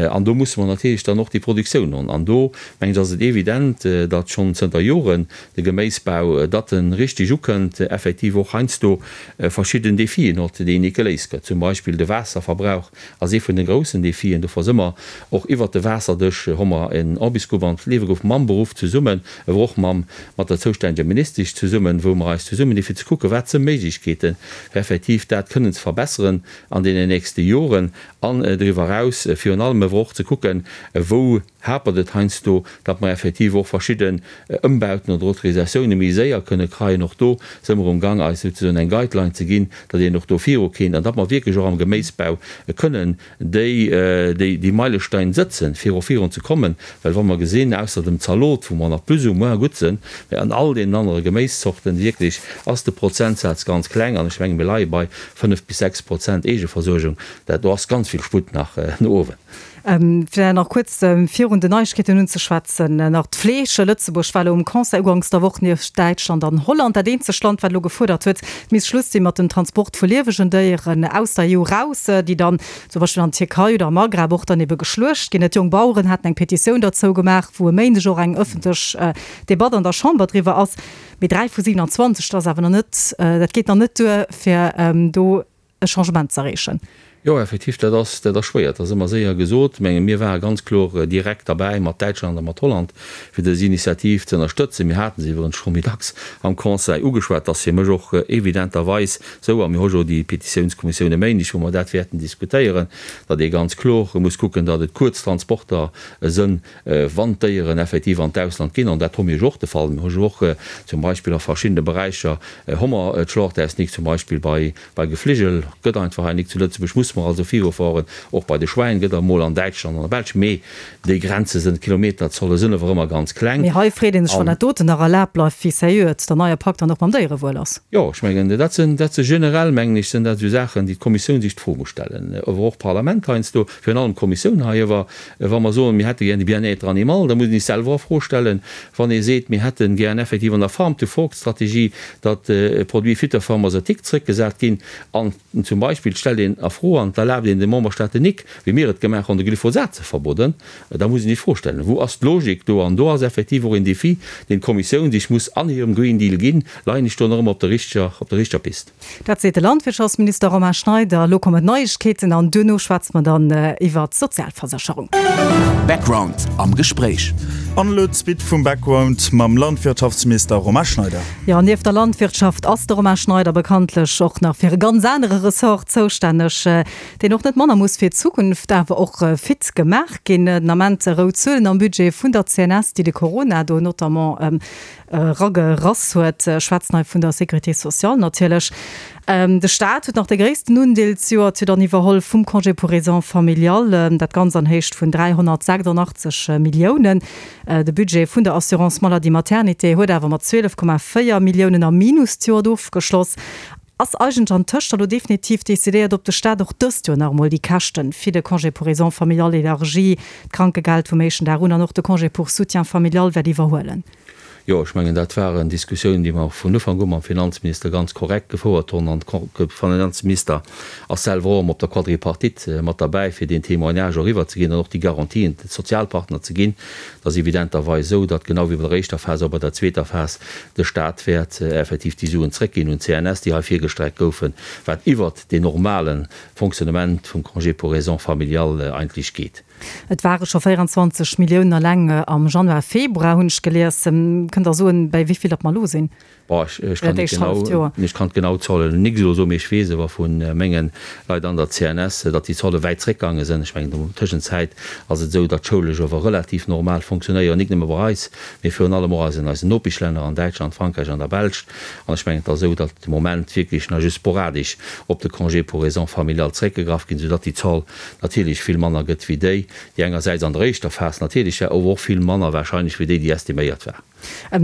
An do musse mer natierlech dann och déi Produktioun hunn. An do, mengen ech, ass et evident, datt schonn zënter Joren de Geméisbau, datt en richtig ukënnt, effektiv och heiansdo verschidden Defien hott, déi nik geléist gëtt. Zum Beispill de Waasserverbrauch ass ee vun de groussen Defien. Dofir si mer och iwwert de Waasserdesch, hu mer en Ambisgrupp an d'Liewe geruff mam Beruff zesummen, awer och mam, mat der zoustännege Ministesch zesummen, wou mer eis zesummen di fir ze kucken, wat si Méiglechkeeten, fir effektiv dat kënnen ze verbesseren an deenen nächste Joren. An doriwwer eraus virun allem awer och ze kucken, wou hapert et heiansdo, datt mer effektiv och verschidden Ëmbauten oder Autorisatioune méi séier kënne kreien. Och do si mer um Gang, eis souzesoen eng Guideline ze ginn, datt een och do viru kéint an datt mer wierklech och am Geméisbau kënnen déi, déi Meilestein sëtzen, fir och virun ze kommen. Well wa mer gesinn, ausser dem Zalot, wou mer nach plus ou moins gutt sinn, mä an all deenen anere Geméiszorten wierklech ass de Prozentsaz ganz kleng an ech menge mir leie bei 5 bis 6 Prozent Eegeversuergung. Dat do ass ganz vill Sputt nach no uewen. Fir nach kuerz virun den Neiegkeeten unzeschwätzen, nach d'Fleesch. Lëtzebuerg war elo um Conseil uganks der Woch nieft Däitschland an Holland dat eenzegt Land, wat elo gefuerdert huet, et misst Schluss si mat dem Transport vu liewegen Déieren aus der EU raus, déi dann zum Beispill an d'Tierkei oder am Maghreb och dann ebe geschluecht ginn. D'Jongbaueren haten eng Petitioun derzou gemaach, wou e Méindeg och eng ëffentlech Debatt an der Chamber driwwer ass. Mee 3 vu 27, dat ass awer nach net, dat geet nach net duer, fir do e Changement z'erreechen. Jo, effektiv, dat ass, dat ass schwéier. Dat ass ëmmer séier gesot. Menge mir ware ganz kloer direkt derbäi mat Däitschland a mat Holland, fir dës Initiativ ze ënnerstëtzen. Mir hate se iwwerens scho méi dacks am Conseil ugeschwat. Dat ass fir mech och evidenterweis esou, a mir hu jo déi Petitiounskommissioun e Méindeg, wou mer dat wäerten diskutéieren, datt ee ganz kloer muss kucken, datt et kuerz Transporter sënn, wann d'Déieren effektiv an d'Ausland ginn, an dat hu mir jo och de Fall, mir hu jo och zum Beispill a verschiddene Beräicher hu mer d'Schlachtausnik, zum Beispill bei bei Gefligel gëtt einfach hei nik zu Lëtzebuerg, muss. musse mer also virufueren. Och bei de Schwäin gëtt emol an Däitschland an der Belsch, mee déi Grenze sënn, d'Kilometerzolle sënn awer ëmmer ganz kleng. Mee hei freet ee sech, wann dat doten nach erlaabt bleift, wéi sérieux et der neie Pak dann och mam Déierewuel ass. Jo, ech mengen, dat sinn, dat si generell, mengen ech, sënn dat esou Saachen, déi d'Kommissioun sech d'Fro muss stellen, awer och d'Parlament heiansdo, virun allem d'Kommissioun hei. Awer wa mer soen, mir hätte gär de Bien-être animal, da muss een sech selwer a Fro stellen, wann ee seet, mir hätte gär effektiv an der Farm-to-Fork-Strategie, datt Produits phytopharmaceutiques zrëckgesat ginn an zum Beispill stellt een a Fro an et erlaabt een de Memberstaaten nik, wéi mir et gemaach hunn, de Glyphosat ze verboden, da muss een sech d'Fro stellen, Wou ass d'Logik do? An do ass effektiv och een Défi, deen d'Kommissioun sech muss an hirem Green Deal ginn, Leien ech do nach ëmmer op der richteger, op der richteger Pist? Dat seet de Landwirtschaftsminister Romain Schneider. Elo kommen d'Neiegkeeten an duerno schwätze mer dann iwwer d'Sozialversécherung. Background am Gespréich. An elo d'Suite vum Background mam Landwirtschaftsminister Romain Schneider. Jo, nieft der Landwirtschaft ass de Romain Schneider bekanntlech och nach fir e ganz anere Ressort zoustänneg, deen och net manner muss fir d'Zukunft awer och fit gemaach ginn. Den Ament rout Zuelen am Budget vun der CNS, déi de Corona do notamment eragerass huet. Ech schwätzen hei vun der Sécurité sociale natierlech. De Staat huet nach de gréissten Undeel zejoert jo dann iwwerholl vum Congé pour aisant familial, dat Ganzt an Héicht vun 386 Milliounen. De Budget vun der Assurance maladie maternité huet awer mat 12,4 Milliounen am Minus d'Joert ofgeschloss. Ass eigentlech antëscht elo definitiv decidéiert, ob de Staat och dëst Joer nach emol déi Käschten fir de Congé pour aisant familial élargi, d'Krankegeld vum éischten Dag un an och de Congé pour soutien familial wäert iwwerhuelen? Jo, ech mengen, dat waren Diskussiounen, déi mer vun Ufank u mam Finanzminister ganz korrekt gefouert hunn. An de Finanzminister ass selwer och ëmmer op der Quadripartite mat derbäi, fir deen Témoignage och eriwwerzeginn an och déi Garantien de Sozialpartner ze ginn. Et ass evidenterweis esou, datt genau wéi bei der éischter Phas och bei der zweeter Phas de Stat wäert effektiv déi Suen zrëckginn un d'CNS, déi hei virgestreckt goufen, wat iwwert deen normale Fonctionnement vum Congé pour raisons familiales eigentlech geet. Et ware scho 24 Milliounen eleng am Januar, Februar, hunn ech gelies. Kënnt Der soen, bäi wéi vill datt mer elo sinn? Bon, ech kann net genau, ech kann d'genau Zuelen nik elo soen, mee ech weess awer vu menge Leit an der CNS, datt déi Zuele wäit zréckgaange sinn. Ech mengen, an der Tëschenzäit ass et esou, datt d'Schoulesch awer relativ normal fonctionnéieren, nik nëmme bei eis, mee virun allem och an eisen Nopeschlänner, an Däitschland, Frankräich an der Belsch. An ech mengen, et ass esou, datt de Moment wierklech nach just sporadesch op de Congé pour raisons familiales zréckgegraff ginn, soudatt déi Zoll natierlech vill manner gëtt wéi déi, déi engersäits an der éischter Phas natierlech war, awer och vill manner wahrscheinlech wéi déi, déi estiméiert war.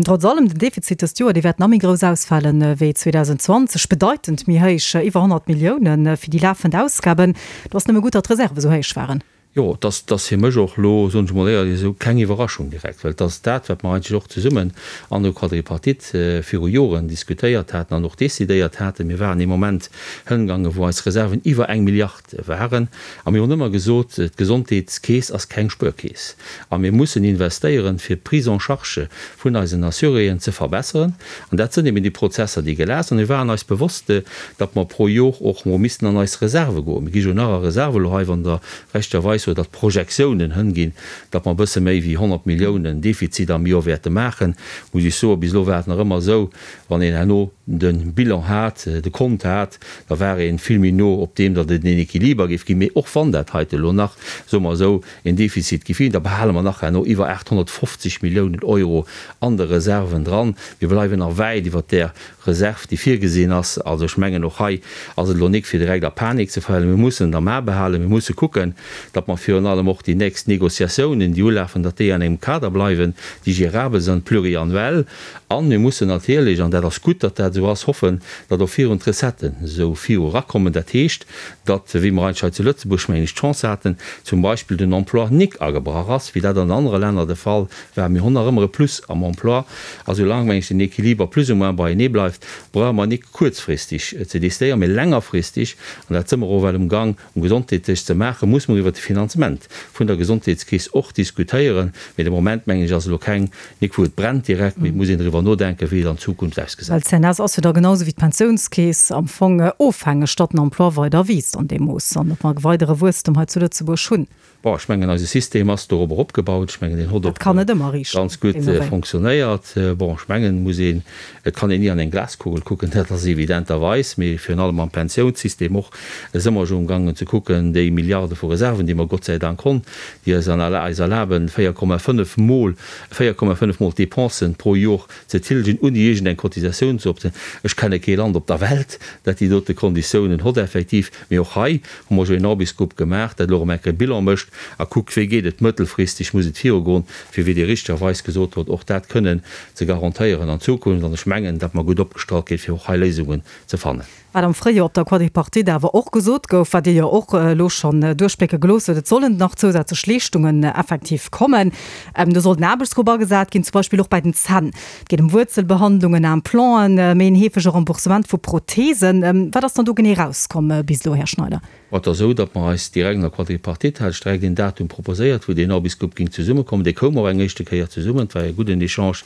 Trotz allem, den Defizit dëst Joer, dee wäert nach méi grouss ausfalen wéi 2020, bedeitend méi héich, iwwer 100 Milliounen fir déi lafend Ausgaben. Do ass nëmme gutt, datt d'Reserve esou héich waren. Jo, et ass, et ass fir mech och elo, soen ech emol éierlech esou, keng Iwwerraschung direkt, well et ass dat, wat mer eigentlech och zesummen an der Quadripartite viru Joren diskutéiert haten an och decidéiert haten. Mir waren ee Moment hëngaangen, wou eis Reserven iwwer eng Milliard waren. A mir hunn ëmmer gesot, d'Gesondheetskeess ass keng Spuerkeess a mir mussen investéieren, fir d'Prise en charge vun eisen Assuréen ze verbesseren. An dat sënn eben déi Prozesser, déi gelaf sinn. Mir waren eis bewosst, datt mer pro Jor och mol missten an eis Reserve goen. Mir gi jo nach a Reserve elo hei, wann Der rechterweis sot, datt d'Projektiounen hënginn, datt mer e bësse méi wéi 100 Milliounen Defizit am Jor wäerte maachen, muss ech soen, bis elo war et nach ëmmer esou, Wann een herno de Bilan hat, de Kont hat, da war ee vill méi no op deem, datt et en Equiliber géif ginn. Mee och wann dat heite elo nach, soe mer esou, en Defizit géif ginn, da behale mer nach herno iwwer 850 Milliounen Euro an de Reserven dran. Mir bleiwen nach wäit iwwer där Reserv, déi virgesinn ass. Also ech mengen, och hei ass et elo nik fir direkt a Panik ze verfalen. Mir mussen et am A behalen. Mir musse kucken, datt mer virun allem och déi nächst Négociatiounen, déi ulafen, datt déi an engem Kader bleiwen, déi gérabel sinn, pluriannuel. A mir mussen natierlech, an dat ass gutt, datt dat esou ass, hoffen, datt och virun d'Recetten esou viru erakommen. Dat heescht, datt, wéi mer eigentlech hei zu Lëtzebuerg, mengen ech, d'Chance haten, zum Beispill den Emploi nik agebrach ass, wéi dat an anere Länner de Fall war. Mir hunn nach ëmmer e Plus am Emploi. A soulaang, mengen ech, den Équiliber plus ou moins beienee bleift, brauche mer nik kuerzfristeg ze décidéieren, mee längerfristeg, an dat si mer och well umgang, Um Gesondheetsdësch ze maachen, muss mer iwwert de Finanzement vun der Gesondheetskeess och diskutéieren. Mee de Moment, mengen ech, ass elo keng, nik wou et brennt direkt, mee et muss een driwwer nodenken, wéi et an Zukunft ausgesäit. Well d'CNS ass jo da genau esou wéi d'Pensiounskeess am Fong ofhängeg, datt den Emploi weider wiisst an deem Mooss an datt mer weidere Wuesstem hei zu Lëtzebuerg hunn. Bon, ech mengen, eise System ass dorobber opgebaut. Ech mengen, deen hott och ganz gutt fonctionnéiert. Bon, ech mengen, muss een, et kann een ni an eng Glaskugel kucken, dat ass evidenterweis, mee virun allem am Pensiounssystem och si mer jo umgaangen ze kucken, déi Milliarde vu Reserven, déi mer Gott sei Dank honn, déi eis eis erlaben, 4,5 mol, 4,5 mol d'Dépensen pro Jor ze tilgen, ouni iergendeng Cotisatioun ze opzéien. Ech kenne kee Land op der Welt, dat déi dote Konditiounen hott effektiv. Mee och hei hu mer jo een Aarbechtsgrupp gemaach, dat elo erëm eng Kéier Bilan mécht a kuckt, wéi geet et mëttelfristeg, muss et virugoen, fir, wéi Dir richtegerweis gesot hutt, och dat kënnen ze garantéieren an Zukunft. An ech mengen, datt mer gutt opgestallt ginn, fir och hei Léisungen ze fannen. Wat am Fréijoer op der Quadripartite awer och gesot gouf, wat Dir jo och elo schonn duerchblécke gelooss hutt, Et sollen nach zousätzlech Leeschtungen effektiv kommen. Do soll den Aarbechtsgrupp agesat ginn, zum Beispill och bei den Zänn. Et geet ëm Wuerzelbehandlungen, Implanten, méi en heefege Remboursement vu Protheesen. Wat ass dann do genee erauskomm bis elo, Här Schneider? Et ass esou, datt mer eis direkt an der Quadripartite, hat ech direkt een Datum proposéiert, wou deen Aarbechtsgrupp géing zesummekommen. Dee koum och eng éischte Kéier zesummen. Et war e gudden Echange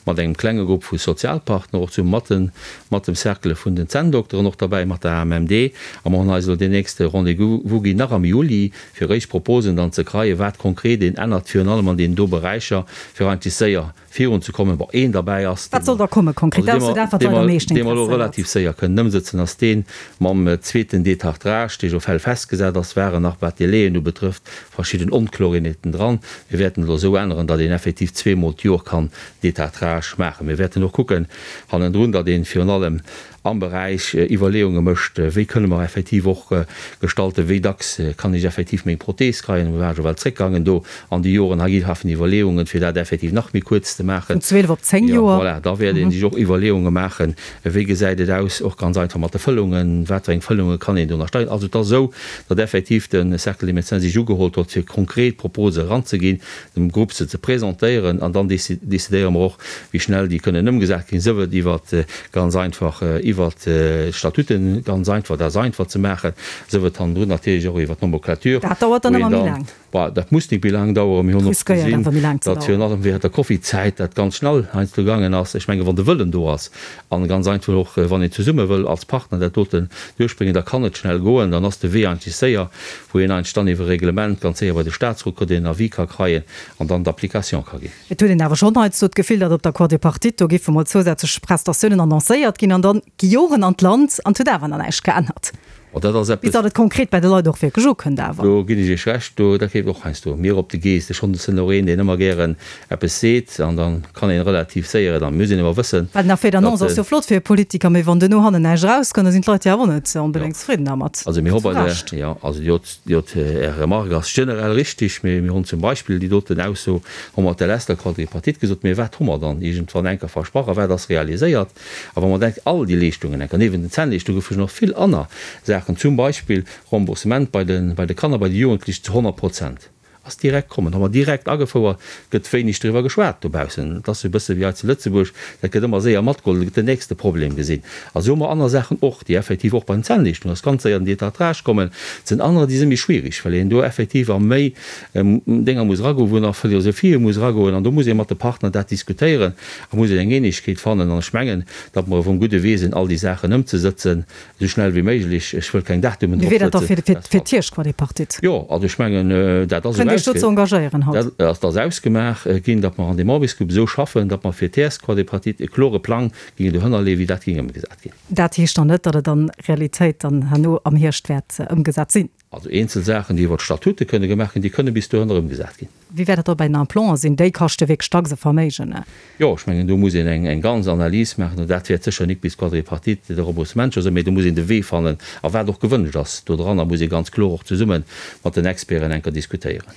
mat engem klenge Grupp vu Sozialpartner och zesummen, mat den, mat dem Cercle vun den Zänndokteren och derbäi, mat der AMMD. A mer hunn eis elo deen nächste Rendez-vous ginn, nach am Juli, fir éischt Proposen dann ze kreien, wat konkret een ännert, virun allem an deenen do Beräicher, fir eigentlech séier virun ze kommen. Bon, een derbäi ass, Wat soll da komme konkret? Dat ass jo dat, wat d'Leit am meeschten dee mer elo interesséiert. relativ séier kënnen ëmsëtzen, ass dee mam zweeten Détartrage, dee jo fäll festgesat ass, waren nach, wat d'Délaien ubetrëfft, verschidden Onklorenheeten dran. Mir wäerten et elo esou änneren, datt een effektiv zweemol d'Jor kann Détartrage maachen. Mir wäerten och kucken hannendrun, datt ee virun allem am Beräich Iwwerleeunge mécht, wéi kënne mer effektiv och gestalten, wéi dacks kann ech effektiv meng Prothees kreien, mir ware jo well zréckgaangen do an déi Joren, hei gi Iwwerleeungen, fir dat effektiv nach méi kuerz ze maachen. Vun 12 op 10 Joer. Voilà, da wäert ee sech och Iwwerleeunge maachen, wéi gesäit et aus, och ganz einfach mat de Fëllungen, wat fir eng Fëllunge kann een do nach steien. Also et ass esou, datt effektiv de Cercle des médecins sech ugeholl huet, fir konkret Propose eranzeginn, dem Grupp se ze presentéieren an dann décidéiere mer och, wéi schnell déi kënnen ëmgesat ginn, sief et iwwert ganz einfach iwwert d'Statuten, ganz einfach, dat ass einfach ze maachen, sief et hannendrun natierlech och iwwert d'Nomenclature. Dat dauert dann ëmmer méi laang. Bah, dat muss nik méi laang daueren. Mir hunn och gesinn, datt virun allem während der Covidzäit dat ganz schnell heiansdo gaangen ass. Ech menge wann de Wëllen do ass an ganz einfach och wann een zesumme wëll als Partner dat doten duerchbréngen, da kann et schnell goen, dann ass de Wee eigentlech séier. wou een eigentlech dann iwwer e Reglement ganz séier bei de Statsrot kritt, een Avis ka kreien an dann d'Application ka ginn. Et huet een awer schonn heiansdo d'Gefill, datt op der Quadripartite do géife mol zousätzlech Prestatiounen annoncéiert ginn an dann gi Joren an d'Land an et huet awer nach näischt geännert. Bon, dat ass eppes. Bis datt et konkret bei de Leit och wierklech ukënnt awer. Do ginn ech Iech Recht, do, dat geet och heiansdo mir op de Geescht. Ech schonn sinn och een, deen ëmmer gären eppes seet an da kann een relativ séier et an. Mir muss een awer wëssen, Well den Effet d'annonce ass jo flott fir e Politiker, mee wann duerno hannen näischt erauskënnt, da sinn d'Leit jo awer och net onbedéngt zefridden dermat. Also mir hu bei der, jo, also déi dot, Är Remarque ass generell richtig, mee mir hunn zum Beispill déi doten Ausso hu mer op der leschter Quadripartite gesot, mee wat hu mer dann iergendwann enker versprach a wat ass realiséiert? A wa mer denken, all déi Leeschtungen enker, niewent den Zännleeschtungen goufe jo nach vill aner Saachen, zum Beispill Remboursement bei de Kanner, bei de Jugendlichen zu 100 Prozent. Ass direkt kommen, hu mer direkt agefouert, gëtt wéineg driwwer geschwat dobaussen. Et ass esou e bësse wéi hei zu Lëtzebuerg, dat gëtt ëmmer séier matgeholl, da gëtt den nächste Problem gesinn. A sou hu mer aner Saachen och, déi effektiv och bei den Zännleeschtungen ass ganz séier den Détartrage kommen. Et sinn anerer, déi si méi schwierig, well een do effektiv a méi Dénger muss eragoen, wou nach Philosophie muss eragoen. An do muss ee mat de Partner dat diskutéieren a muss een eng Eenegkeet fannen. An ech mengen, datt mer op engem gudde Wee sinn, all déi Saachen ëmzesëtzen. Esou schnell wéi méiglech. Ech wëll keng Datumen drop setzen. Wéi wier dat da fir d'Hierschtquadripartite? Jo, also ech mengen, dat ass esou. Kënnt Iech dozou engagéieren haut? Dat ass ausgemaach ginn, datt mer an deem Aarbechtsgrupp esou schaffen, datt mer fir d'Hierschtquadripartite e klore Plang géingen dohënner leeën, wéi dat géing ëmgesat ginn. Dat heescht dann net, datt et an Realitéit dann herno am Hierscht wäert ëmgesat sinn? Also eenzel Saachen, déi iwwer d'Statute kënne gemaach ginn, déi kënne bis dohënner ëmgesat ginn. Wéi wäert dat da bei den Implanten sinn? Déi kaschte wierklech dacks e Verméigen. Jo, ech mengen, do muss een eng ganz Analys maachen. Dat wäert sécher nik bis d'Quadripartite de Remboursement scho sinn, mee do muss een de Wee fannen a wat och gewënscht ass dodranner, muss ee ganz kloer och zesumme mat den Experten enker diskutéieren.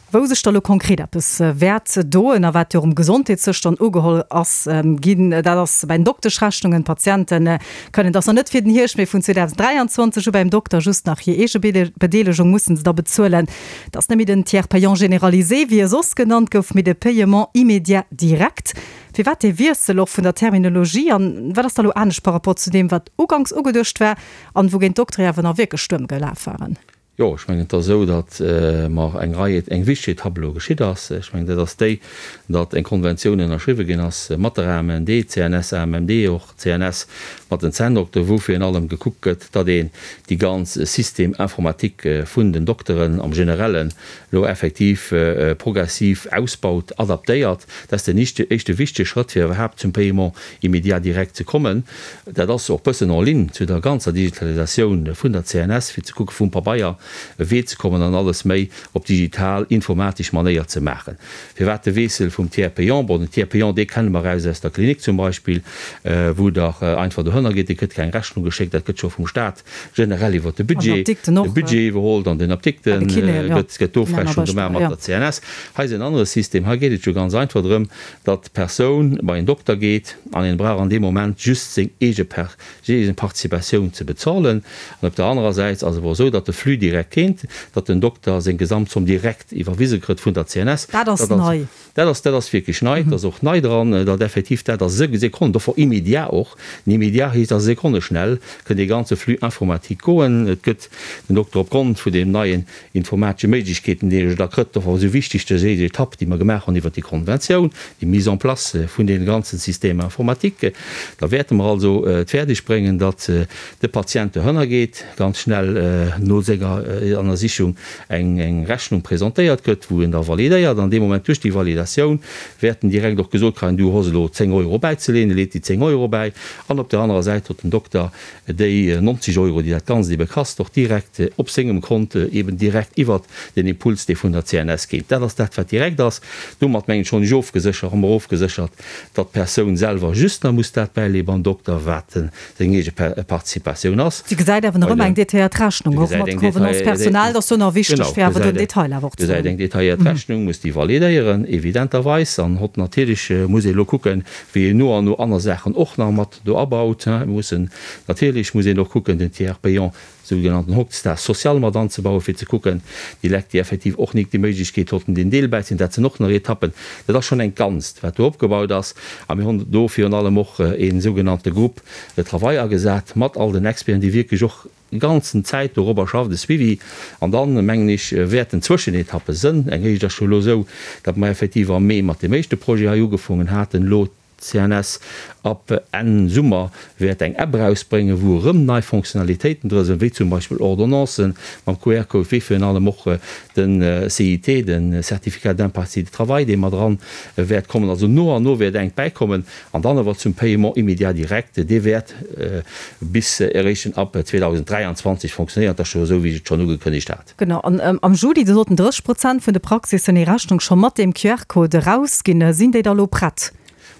Wou sech da lo konkret eppes wäert doen a wat jo och um Gesondheetssësch dann ugeholl ass ginn, dat ass bei den Dokteschrechnungen. D'Patiente kënnen, dat ass nach net fir den Hierscht, mee vun 2023 u beim Dokter just nach hir eege Bedeelegung mussen se da bezuelen. Dat ass net méi den Tiers payant généralisé, wéi e soss genannt gouf, mee de Paiement immédiat direct. Firwat dee Wiessel och vun der Terminologie an wat ass da lo anescht par rapport zu deem, wat uganks ugeduecht war an wougéint d'Doktere awer nach wierklech Stuerm gelaf waren? Jo, ech mengen, et ass esou, datt mer eng Rei, eng wichteg Etapp elo geschitt ass. Ech mengen, dat ass déi, datt eng Konventioun ënnerschriwwe ginn ass mat der AMMD, CNS, AMMD, och CNS mat den Zänndokter, wou virun allem gekuckt gëtt, datt een déi ganz Système informatique vun den Dokteren am Generellen elo effektiv progressiv ausbaut, adaptéiert. Dat ass den éischte wichtege Schrëtt, fir iwwerhaapt zum Paiement immédiat direct ze kommen. Dat ass och bëssen en ligne zu der ganzer Digitalisatioun vun der CNS, fir ze kucke vum Pabeier. Wee ze kommen an alles méi op digital, informatesch Manéier ze maachen. Firwat de Wiessel vum Tiers payant? Bon, den Tiers payant, dee kenne mer eraus aus der Klinik zum Beispill, wou Der einfach dohënner gitt, et gëtt keng Rechnung geschéckt, dat gëtt scho vum Stat generell iwwert de Budget, de Budget iwwerholl, an den Apdikte gëtt d'Ofrechnung gemaach mat der CNS. Hei ass en anere System, hei geet et jo ganz einfach drëm, datt d'Persoun bei en Dokter geet an en brauch an deem Moment just seng eege Participatioun ze bezolen. An op der anerer Säit ass awer och esou, datt de Flux direkt kéint, datt den Dokter seng Gesamtzomm direkt iwwerwise kritt vun der CNS. Dat ass nei. Dat ass, dat ass wierklech nei. Dat ass och nei dran, datt effektiv dat a Sekonnen, dofir immédiat och, den immédiat heescht a sekonneschnell kënn dee ganze Flux informatique goen. Et gëtt den Dokter opgrond vun deem neien informatesche Méiglechkeeten, déi ech da krëtt, och esou wichteg dës éischt Etapp, déi mer gemaach hunn iwwert déi Konventioun, déi Mise en place vun deene ganzen Systèmes informatiques. Da wäerte mer also et fäerdeg bréngen, datt de Patient dohënner geet, ganz schnell no senger Ënnersichung eng Rechnung presentéiert gëtt, wou en da validéiert. An deem Moment, duerch déi Validatioun, wäert en direkt och gesot kréien, Du hues elo 10 Euro bäizeleen. E leet déi 10 Euro bäi. An op där anerer Säit huet den Dokter déi 90 Euro, déi dat Ganzt ebe kasst, och direkt op sengem Kont, eben direkt iwwert den Impuls, dee vun der CNS geet. Dat ass dat, wat direkt ass. Domat, mengen ech, hunn ech ofgeséchert, hu mer ofgeséchert, datt d'Persoun selwer just nach muss dat bäileeë beim Dokter, wat seng eege Participatioun ass. Si gesäit awer nach ëmmer eng detailléiert Rechnung, och mat Convenance personnelle. Dat ass do nach wichteg, fir awer do den Detail awer och ze hunn. Gesäit eng detailléiert Rechnung, muss déi validéieren, evidenterweis. An hott natierlech muss ee elo kucken, wéi een no an no aner Saachen och nach mat do abaut. Mir mussen, natierlech muss een och kucken, den Tiers payant, sougenannten Hochstar social mat anzebauen, fir ze kucken, déi Lekt, déi effektiv och nik déi Méiglechkeet hotten, deen Deel bäizeen. Dat sinn och nach Etappen. Dat ass schonn eng Ganzt, wat do opgebaut ass. A mir hunn do virun allem och ee sougenannte Groupe de travail agesat mat all den Experten, déi wierklech och ganzen Zäit dorobber schafft, e Suivi. An dann, mengen ech, wäerten Zwëschenetappe sënn. Eng éischt ass scho elo esou, datt mer effektiv am Mee mat deem éischte Projet hei ugefoongen haten. Elo D'CNS ab Enn Summer wäert eng App erausbréngen, wou erëm nei Fonctionnalitéiten dra sinn, wéi zum Beispill Ordonnancen mam QR-Code, wéi virun allem och de CIT, de Certificat d'impartialité de travail, dee mat eran wäert kommen. Also no an no wäert eng bäikommen. An dann awer zum Paiement immédiat direct, dee wäert bis eréischt ab 2023 fonctionnéieren. Dat ass scho esou, wéi ech et schonn ugekënnegt hat. Genau, an am Juli, do sollten 30 Prozent vun de Praxissen hir Rechnung scho mat deem QR-Code erausginn. Sinn déi da lo prett?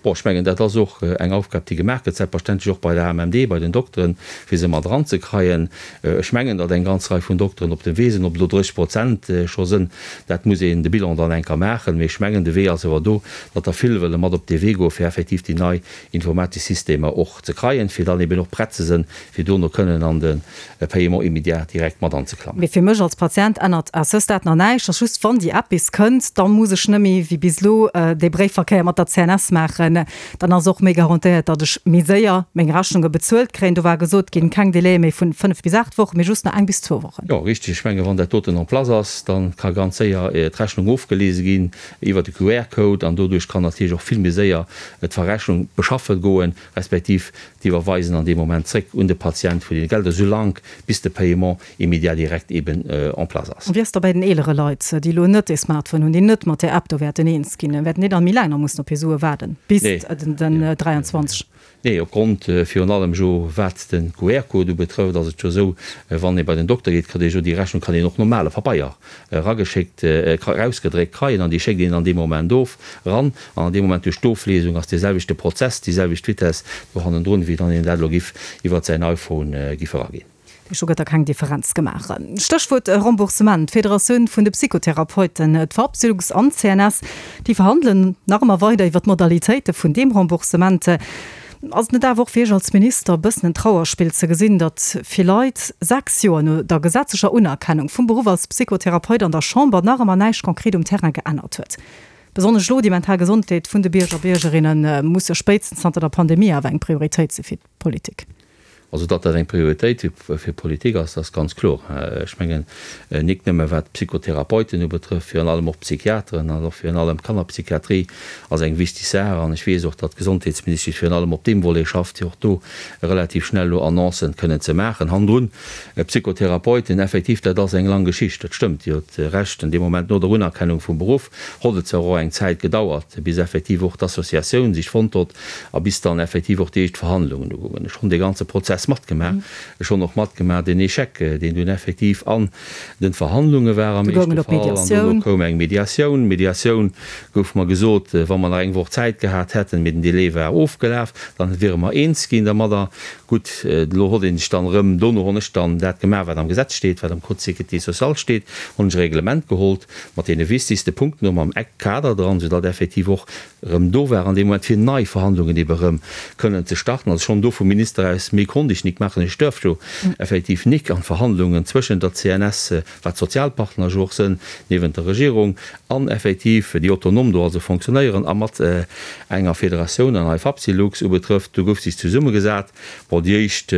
Bon, ech mengen, dat ass och eng Aufgab, déi gemaach gëtt, selbstverständlech och bei der AMMD, bei den Dokteren, fir se mat eranzekreien. Ech mengen, datt eng ganz Rei vun Dokteren op dem Wee sinn. Ob et elo 30 Prozent scho sënn, dat muss een de Bilan dann eng Kéier maachen. Mee ech mengen, de Wee ass awer do, datt der vill wëlle mat op dee Wee goen, fir effektiv déi nei informatesch Systemer och ze kreien, fir dann eben och prett ze sënn, fir dono kënnen an de Paiement immédiat direct mat anzeklammen. Mee fir mech als Patient ännert à ce stade nach näischt. Ass just, wann déi App bis kënnt, da muss ech net méi wéi bis elo dee Bréifverkéier mat der CNS maachen. Dann ass och méi garantéiert, datt ech méi séier meng Rechnunge bezuelt kréien. Do war gesot ginn, keng Délaië méi vun 5 bis 8 Wochen, mee just nach eng bis zwou Wochen. Jo, richteg. Ech menge wann dat doten en place ass, da ka ganz séier d'Rechnung ofgelese ginn iwwert de QR-Code an doduerch kann natierlech och vill méi séier d'Verrechnung beschaffen goen, respektiv d'Iwwerweisen an deem Moment zréck un de Patient vun deene Gelder, soulaang bis de Paiement immédiat direct eben en place ass. Wéi ass da bäi den eelere Leit, déi elo net ee Smartphone hunn, déi net mat där App do wäerten eens ginn? Wäerten déi dann méi laang nach mussen op hir Sue waarden, bis den 23? Nee, opgrond virun allem jo wat de QR-Code ubetrëfft, ass et jo esou, wann ee bei den Dokter geet, kritt ee jo déi Rechnung, kann een och normale Pabeier erageschéckt, erausgedréckt kreien an déi schéckt een dann dee Moment of ran. An an deem Moment duerch d'Oflesung ass dee selwechte Prozess, déi selwecht Vitesse do hannendrun, wéi wann een dat elo giff iwwert säin iPhone giff eraginn. Do gëtt da keng Differenz gemaach. Stéchwuert Remboursement, D'Federatioun vun de Psychotherapeuten, d'Fapsylux an d'CNS, déi verhandelen nach ëmmer weider iwwer d'Modalitéite vun deem Remboursement. Ass et net awer och fir Iech als Minister e bëssen en Trauerspill ze gesinn, datt vill Leit 6 Joer no der gesetzlecher Unerkennung vum Beruff als Psychotherapeut an der Chamber nach ëmmer näischt konkret um Terrain geännert huet? Besonnesch elo, déi mental Gesondheet vun de Bierger a Biergerinne muss jo spéitstens zanter der Pandemie awer eng Prioritéit si fir d'Politik. Also datt dat eng Prioritéit fir d'Politik ass, dat ass ganz kloer. Ech mengen, nik nëmme wat d'Psychotherapeuten ubetrëfft, virun allem och d'Psychiateren an och virun allem d'Kannerpsychiatrie ass eng wichteg Saach. An ech weess och, datt d'Gesondheetsministesch virun allem op deem Volet schafft, fir och do relativ schnell elo Annoncen kënnen ze maachen. Hannendrun, Psychotherapeuten, effektiv, dat ass eng lang Geschicht, dat stëmmt, Dir hutt Recht. An deem Moment no der Unerkennung vum Beruff hott et zwar och eng Zäit gedauert, bis effektiv och d'Associatioun sech fonnt hott, A bis dann effektiv och déi éischt Verhandlungen ugoungen. Ech hunn dee ganze Prozess. Prozess matgemaach. Ech honn och matgemaach deen Échec, deen dunn effektiv an den Verhandlunge war am éischte Fall. An dono koum eng Mediatioun. Mediatioun gouf mer gesot, wa mer nach eng Woch Zäit gehat hätten, mee den Délai war ofgelaf, dann wiere mer eens ginn dermadder. Gutt, elo hott een sech dann erëm, dono honn ech dann dat gemaach, wat am Gesetz steet, wat am Code de sécurité sociale steet, honn ech e Reglement gehollt mat deene wichtigste Punkten, och mam Eckkader dran, soudatt effektiv och erëm do war an deem Moment, fir nei Verhandlungen ebe erëm kënnen ze starten. Also schonn do vum Minister aus, méi konnt ech nik maachen, ech duerft jo effektiv nik an d'Verhandlungen zwëschent der CNS, wat d'Sozialpartner jo och sënn, niewent der Regierung, an effektiv déi autonom do also fonctionnéieren a mat enger Federatioun an hei Fapsylux ubetrëfft, do gouf sech zesummegesat. Bon, déi éischt,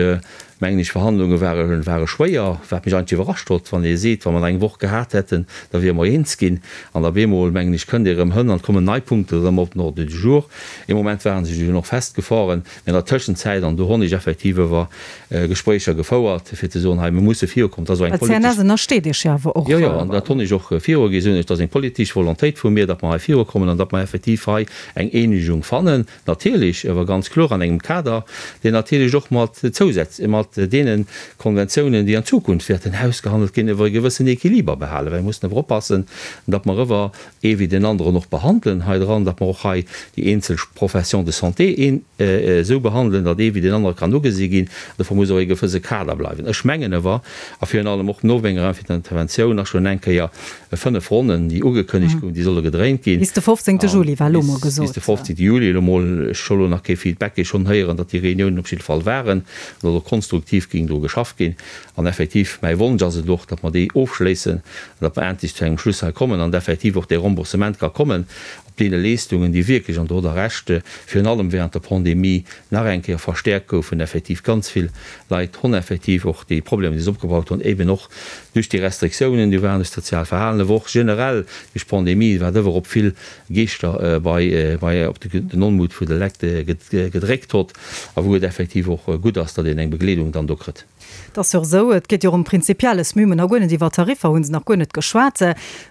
mengen ech, Verhandlunge ware ware schwéier, wat mech eigentlech iwwerrascht hott, wann ee seet, wa mer nach eng Woch gehat hätten, da wiere mer eens ginn. An op eemol, mengen ech, kënnt ee erëm hënn an et kommen nei Punkten erëm op den Ordre du jour. Ee Moment ware se jo och festgefahren, mee an der Tëschenzäit, an do honn ech effektiv ewer Gespréicher gefouert, fir ze soen, hei, mir musse virukommen. Dat ass och eng politesch. D'CNS ënnersteet Iech jo awer och. Jo, jo, an dat hunn ech och virugi soen ech, dat ass eng politesch Volontéit vu mir, datt mer hei virukommen an datt mer effektiv hei eng Eenegung fannen. Natierlech awer ganz kloer an engem Kader, deen natierlech och mat Zousätz, mat deene Konventiounen, déi an Zukunft wäerten ausgehandelt ginn, ewer e gewëssen Equiliber behalen, well mir mussen ewer oppassen, datt mer ewer ee wéi deen aneren och behandelen hei dran, datt mer och hei déi eenzel Professions de santé een esou behandelen, datt ee wéi deen anere kann ugesi ginn. Dofir muss och ee gewësse Kader bleiwen. Ech mengen ewer, a virun allem och no menger Interventioun nach schonn eng Kéier 5 Ronnen, déi ugekënnegt goufen, déi solle gedréint ginn. Bis de 15. Juli war elo mol gesot. Bis de 15. Juli elo mol. Ech hu elo nach kee Feedback, ech schonn héieren, datt déi Reuniounen op jidde Fall waren an datt och konstruktiv géing dru geschafft ginn. An effektiv, mäi Wonsch ass et och, datt mer déi ofschléissen an datt mer endlech zu engem Schluss hei kommen an effektiv och dee Remboursement ka kommen op deene Leeschtungen, déi wierklech, an do hutt Der Recht, virun allem während der Pandemie nach eng Kéier verstärkt goufen. Effektiv ganz vill Leit hunn effektiv och déi Problemer, déi se opgebaut hunn, eben och duerch déi Restriktiounen, déi waren, duerch d'soziaalt Verhalen, awer och generell duerch d'Pandemie, wat ëwer op vill Geeschter bei, bei op den Onmut vu de Lekt gedréckt hott a wou et effektiv och gutt ass, datt een eng Begleedung dann do kritt. Et ass jo och esou, et geet jo och ëm Prinzipielles. Mir hunn nach guer net iwwer Tariffer hu se nach guer net geschwat.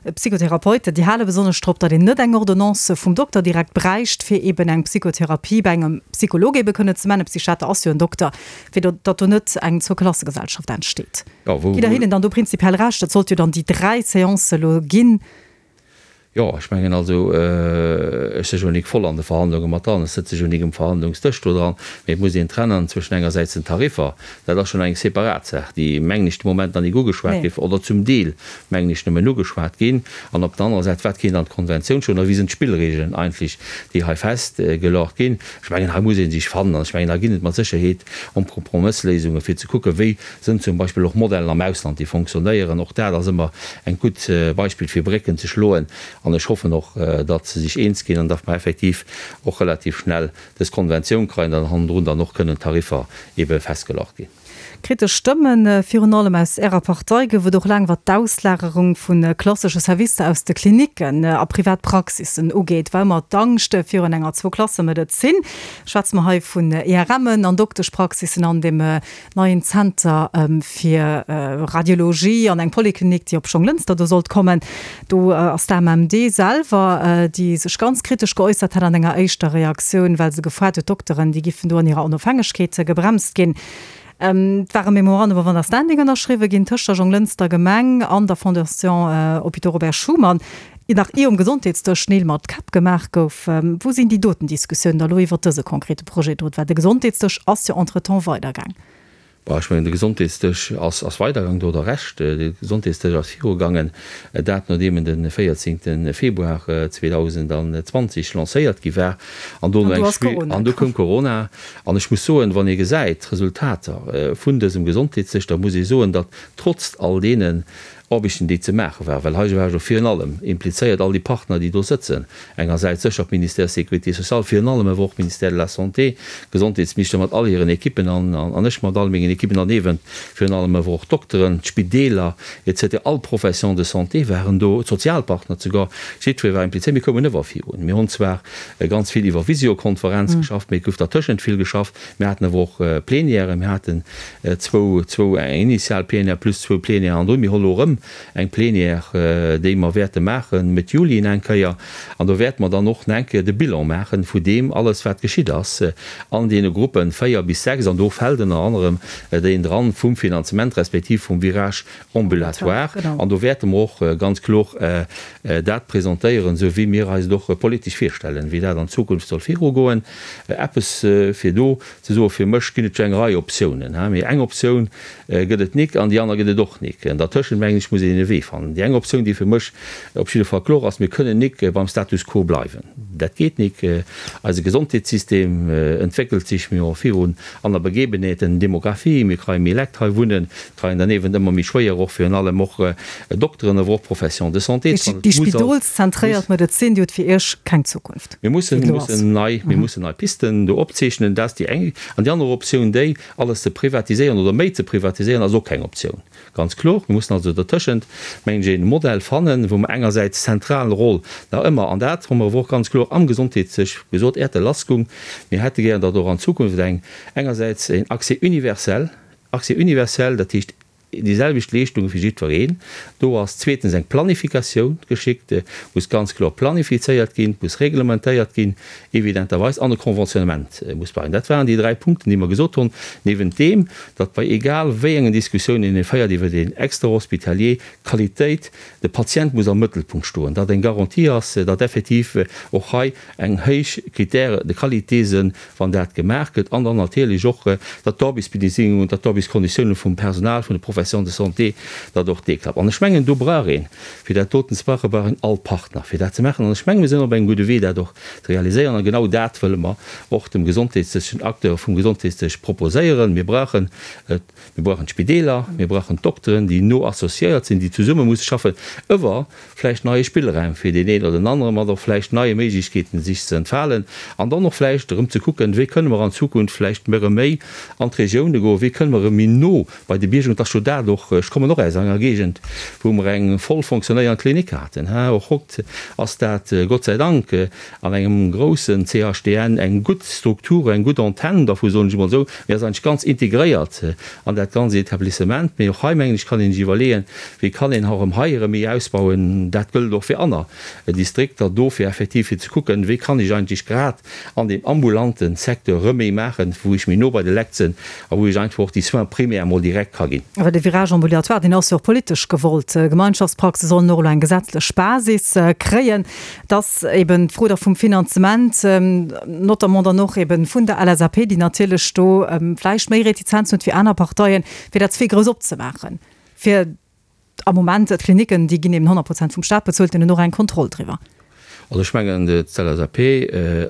D'Psychotherapeuten, déi hale besonnesch drop, datt een net eng Ordonnance vum Dokter direkt bräicht, fir eeben eng Psychotherapie bei engem Psycholog eebe kënnen ze maachen. E Psychiater ass jo en Dokter, fir datt do net eng Zweiklassegesellschaft entsteet. Gitt Der hinnen dann do prinzipiell Recht? Et sollt jo dann déi 3 Seancë elo ginn. Jo, ech mengen also, ech si jo nik voll an de Verhandlunge mat dran, ech sëtze jo nik um Verhandlungsdësch do dran, mee et muss een trennen zwëschen engersäits den Tariffer, dat ass schonn eng separat Saach, déi, mengen ech, de Moment nach nik ugeschwat géif, oder zum Deel, mengen ech, nëmmen ugeschwat ginn, an op der anerer Säit, wat kéint an d'Konventioun stoen, a wéi sinn d'Spillregelen eigentlech, déi hei festgelagt ginn. Ech mengen, hei muss ee sech fannen, an ech mengen, hei ginn et mat Sécherheet Kompromëssléisunge fir ze kucken, wéi Sënn zum Beispill och Modellen am Ausland, déi fonctionnéieren. Och dat ass ëmmer eng gutt Beispill fir Brécken ze schloen. An ech hoffen och, datt se sech eens ginn an datt mer effektiv och relativ schnell dës Konventioun kréien an hannendrun dann och kënnen d'Tariffer ebe festgelagt ginn. Kritesch Stëmmen, virun allem aus Ärer Partei, gouf et och laang, wat d'Auslagerung vu klassesche Servicer aus de Klinicken a privat Praxissen ugeet. War ëmmer d'Angscht virun enger Zwouklassemedezin. Schwätze mer hei vun IRMen an Dokteschpraxissen an dem Neien Zenter fir Radiologie an eng Poliklinik, déi op Jonglënster do sollt kommen. Do ass d'AMMD selwer, déi sech ganz kritesch geäussert hat an enger éischter Reaktioun, well se gefoart huet, d'Dokteren, déi giffen do an hirer Onofhängegkeet gebremst ginn. Et war e Memorandum of Understanding ënnerschriwwe ginn tëscht der Jonglënster Gemeng an der Fondation Hôpitaux Robert Schuman, nach ier um Gesondheetsdësch Neel mat Käpp gemaach gouf. Wou sinn déi doten Diskussiounen da lo iwwert dëse konkrete Projet do? Well de Gesondheetsdësch ass jo entretemps weidergaang. Bon, ech mengen, de Gesondheetsdësch ass ass weidergaang, do hutt Der Recht. De Gesondheetsdësch ass virugaangen, dat nodeem en de 14. Februar 2020 lancéiert gi war. An do an do koum Corona. An ech muss soen, wann ee gesäit d'Resultater vun dësem Gesondheetsdësch, da muss ee soen, datt trotz all deenen Aarbechten, déi ze maache waren, well hei war jo virun allem implizéiert all déi Partner, déi do sëtzen, engersäits sécher d'Ministère Sécurité sociale, virun allem awer och d'Ministère de la Santé, d'Gesondheetsministère mat all hiren Ekippen an an ech mat all mengen Ekippen an ewen virun allem awer och d'Dokteren, d'Spideeler et cetera, all d'Professions de santé waren do, d'Sozialpartner souguer, jiddweree war implizéiert. Mir koumen ëwer virun. Mir hunn zwar ganz vill iwwer Visiokonferenz geschafft, mee et gouf dertëschent vill geschafft. Mir haten awer och Plenièren, mir haten zwou, zwou, eng initial Plenière plus zwou Plenièren an do. Mir hu lo erëm. eng Plenière, déi mer wäerte maachen Mëtt Juli eng Kéier. An do wäerte mer dann och nach eng Kéier de Bilan maache vu deem alles, wat geschitt ass an deene Gruppen 4 bis 6. An do fält ënner anerem deen dran vum Finanzement respektiv vum Virage ambulatoire. An do wäerte mer och ganz kloer dat presentéieren, esou wéi mir eis et och politesch virstellen, wéi dat an Zukunft soll virugoen. Eppes fir do ze soen, fir mech ginn et jo eng Rei Optiounen, mee eng Optioun gëtt et nik an déi aner gëtt et och nik. Dertëschent, mengen ech, muss een e Wee fannen. Déi eng Optioun, déi fir mech op jidde Fall kloer ass, Mir kënnen nik beim Status quo bleiwen. Dat geet nik. Eise Gesondheetssystem entwéckelt sech, mir hu virun aner Begebenheeten, Demografie, mir kreie méi Lekt hei wunnen, kreien derniewent ëmmer méi schwéier och virun allem och Dokteren, awer och Professions de santé ze fannen. Déi spidolszentréiert Medezin, déi huet fir Iech keng Zukunft. Mir mussen, mir mussen nei, mir mussen nei Pisten do opzeechnen. Dat ass déi eng. An déi aner Optioun, déi alles ze privatiséieren oder méi ze privatiséieren, ass och keng Optioun. Ganz kloer. Mir mussen also dertëschent, mengen ech, e Modell fannen, wou mer engersäits d'zentral Roll nach ëmmer, an dat hu mer awer och ganz kloer am Gesondheetsdësch gesot, äert der lassgung, mir hätte gären, datt och an Zukunft eng engersäits een Accès universel, Accès universel, dat heescht déi selwecht Leeschtunge fir jiddwereen do ass, zweetens eng Planifikatioun geschickt, muss ganz kloer planifizéiert ginn, muss reglementéiert ginn, evidenterweis, an e Conventionnement muss bei. Dat waren déi dräi Punkten, déi mer gesot hunn, niewent deem, datt bei egal wéi engen Diskussiounen een féiert iwwer een Extrahospitalier, d'Qualitéit, de Patient muss am Mëttelpunkt stoen, datt eng Garantie ass, datt effektiv och hei eng héich Critères de qualité sinn, wann dat gemaach gëtt, an dann natierlech och, datt d'Aarbechtsbedingungen, datt d'Aarbechtskonditiounen vum Personal, vun de Professions de santé, datt och dee klappt. An ech mengen, do brauch een, fir dat doten ze maachen, brauch een all Partner, fir dat ze maachen. An ech mengen, mir sinn op engem gudde Wee, dat och ze realiséieren. A genau dat wëlle mer och dem gesondheetlechen Acteur vum Gesondheetsdësch proposéieren. Mir brauchen et, mir brauchen d'Spideeler, mir brauchen d'Dokteren, déi no associéiert sinn, déi zesumme musse schaffen, iwwer vläicht neie Spillraum fir deen een oder den aneren, mat och vläicht neie Méiglechkeeten, sech ze entfalen, an dann och vläicht erëm ze kucken, wéi kënne mer an Zukunft vläicht erëm méi an d'Regioune goen, wéi kënne mer erëm méi no bei de Bierger, et ass jo dat och, ech kommen och aus enger Géigend, wou mer eng voll fonctionnéierend Klinik haten, och haut ass dat Gott sei Dank an engem groussen CHDN eng gutt Struktur, eng gutt Antenne dervu, soen ech emol esou, mee ass eigentlech ganz integréiert an dat ganz Etablissement. Mee och hei, mengen ech, kann een sech iwwerleeën, wéi kann een erëm hei erëm méi ausbauen. Dat gëllt och fir aner Distrikter do, fir effektiv fir ze kucken, wéi kann ech eigentlech grad an deem ambulante Secteur erëm méi maachen, wou ech méi no bei de Lekt sinn a wou ech einfach och déi Soins primaires emol direkt ka ginn. Awer de Virage ambulatoire, deen ass jo och politesch gewollt. Gemeinschaftspraxe sollen och elo eng gesetzlech Basis kréien. Et ass eben d'Fro da vum Finanzement, notamment dann och eben vun der LSAP, déi natierlech do vläicht méi Retizenzen huet wéi aner Parteien, fir dat ze vill grouss opzemaachen. Fir am Moment, d'Klinicken, déi ginn eben 100 Prozent vum Staat bezuelt, déi hunn och eng Kontroll driwwer. Also ech mengen, d'LSAP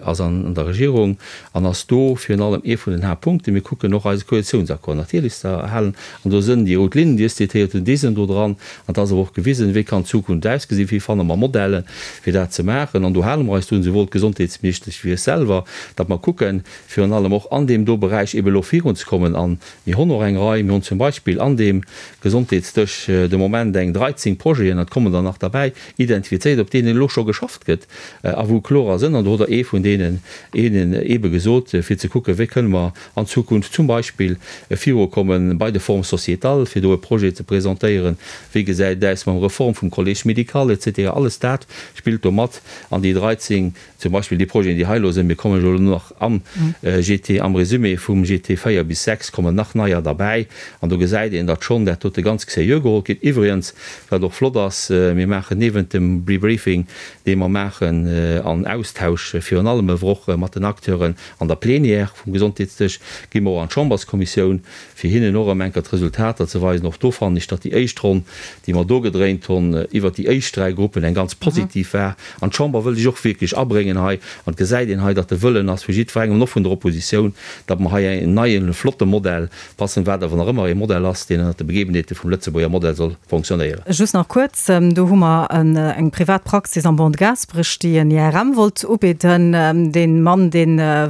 ass an der Regierung an ass do virun allem ee vun den Haaptpunkten. Mir kucken och eise Koalitiounsaccord natierlech ze erhalen an do sënn déi rout Linnen, déi ech zitéiert hunn, déi sënn do dran. An et ass awer och gewisen, wéi kann d'Zukunft ausgesinn, wéi fanne mer Modellen, fir dat ze maachen. An do hale mer eis drun, souwuel d'Gesondheetsministesch wéi ech selwer, datt mer kucken, virun allem och an deem do Beräich eeben elo virunzekommen. A mir hunn och eng Rei, mir hunn zum Beispill an deem Gesondheetsdësch de Moment eng 13 Projeten, et kommen der nach derbäi, identifizéiert, op deenen elo scho geschafft gëtt a wou klorer sënn, an do hutt Der ee vun deenen eenen eebe gesot, fir ze kucken, wéi kënne mer an Zukunft zum Beispill virukomme bei de Formes sociétales, fir do e Projet ze presentéieren, wéi gesäit et aus mam Reform vum Collège médical et cetera. Alles dat spillt do mat an déi 13, zum Beispill déi Projeten, déi hei elo sinn. Mir kommen jo elo nach am GT, am Résumé vum GT 4 bis 6 kommen nach neier derbäi an do gesäit een, datt schonn dat dote ganz sérieux geholl gëtt. Iwwregens, wat och flott ass, mir maachen niewent dem Debriefing, dee mer maachen an Austausch virun allem ewer och mat den Acteuren an der Plénière vum Gesondheetsdësch, gi mer och an d'Chamberskommissioun, fir hinnen och erëm enker d'Resultater ze weisen. Och do fannen ech, datt déi éischt Ronn, déi mer do gedréint hunn, iwwert déi éischt dräi Gruppen eng ganz positiv war. An d'Chamber wëll sech och wierklech abréngen hei. An et gesäit een hei, datt de Wëllen ass vu jiddwerengem an och vun der Oppositioun, datt mer hei en neien, flotte Modell passen, wat awer nach ëmmer ee Modell ass, deen ënnert de Begebenheete vum Lëtzebuerger Modell soll fonctionnéieren. Just nach kuerz, Do hu mer eng privat Praxis am Ban de Gaasperech, déi en IRM wollt ubidden. Dee Mann, dee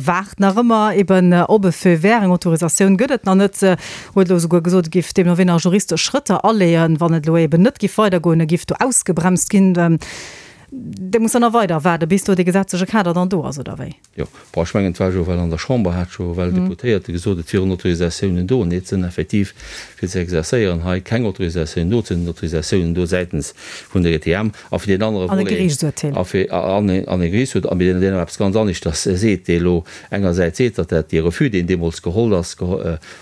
waart nach ëmmer eben op e Feu vert. Eng Autorisatioun gëtt et nach net. Huet elo esouguer gesot, e giff deemno wéi nach juristesch Schrëtter aleeën, wann et elo eben net giff weidergoen, e giff do ausgebremst ginn. Dir musst dann nach weider waarden, bis do dee gesetzleche Kader dann do ass, oder wéi? Jo, bon, ech mengen, et war jo well an der Chamber hat scho well Deputéierte gesot, et wieren Autorisatiounen do. Nee, et sinn effektiv, fir ze exerzéieren hei, keng Autorisatiounen do. Et sinn Autorisatiounen do säitens vun der ETM a fir deen anere Volet. An e Geriichtsurteel. A fir, an e Geriichtsurteel, a mee deen awer eppes ganz aneschters seet, dee elo engersäits seet, datt dat dee Refus, deen deemools geholl ass,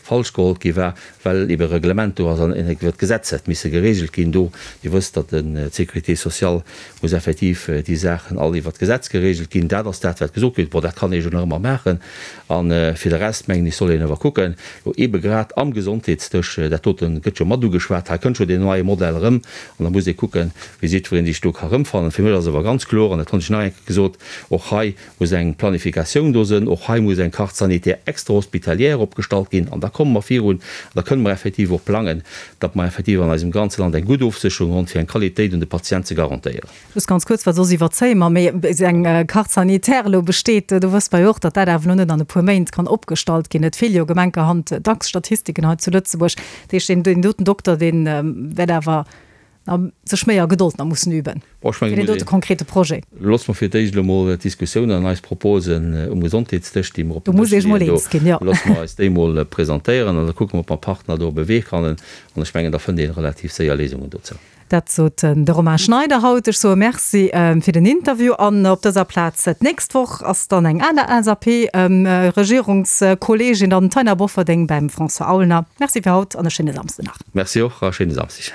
falsch geholl gi war, well ebe Reglement do ass an iwwer d'Gesetz hätt misse geregelt ginn do. Dir wësst, datt d'Sécurité sociale muss effektiv déi Saachen all iwwer d'Gesetz geregelt ginn. Dat ass dat, wat gesot gëtt. Bon, dat kann ee jo nach ëmmer maachen. A fir de Rest, mengen ech, soll een awer kucken, elo ebe grad am Gesondheetsdësch, dat dote gëtt jo mat ugeschwat, hei kënnt jo deen neie Modell erëm, an da muss ee kucken, wéi jiddweree sech do ka erëmfannen. Fir mech ass awer ganz kloer, an dat hunn ech nach eng Kéier gesot, och hei muss eng Planifikatioun do sënn, och hei muss eng Carte sanitaire extra-hospitalière opgestallt ginn an da komme mer virun an da kënne mer effektiv och plangen, datt mer effektiv an eisem ganze Land eng gutt Ofsécherung hunn, fir eng Qualitéit un de Patient ze garantéieren. Just ganz kuerz, well soss iwwerzéie mer, mee bis eng Carte sanitaire elo besteet, do wësst mer jo och, datt dat awer elo net an e puer Méint kann opgestallt ginn. Et feele jo gemenkerhand dacks Statistiken hei zu Lëtzebuerg. Dat heescht, deen doten Dokter, dee wäert awer a sech méi a Gedold nach mussen üben Bon, ech fir mengen, deen dote konkrete Projet. Loosse mer fir d'éischt elo mol d'Diskussioun an eis Proposen um Gesondheetsdësch, déi mer op Do den muss Dësch eech mol leeën, do eens ginn, jo. loosse mer eis déi mol presentéieren an da kucke mer, ob mer Partner do op e Wee fannen. An ech mengen, da fënnt ee relativ séier Léisungen dozou. Dat sot de Romain Schneider haut. Ech soe Merci fir den Interview an op dëser Plaz d'nächst Woch ass dann eng aner LSAP-Regierungskolleegin, dann d'Taina Bofferding beim François Aulner. Merci fir haut an e schéine Samsden nach. Merci och a schéine Samsdeg.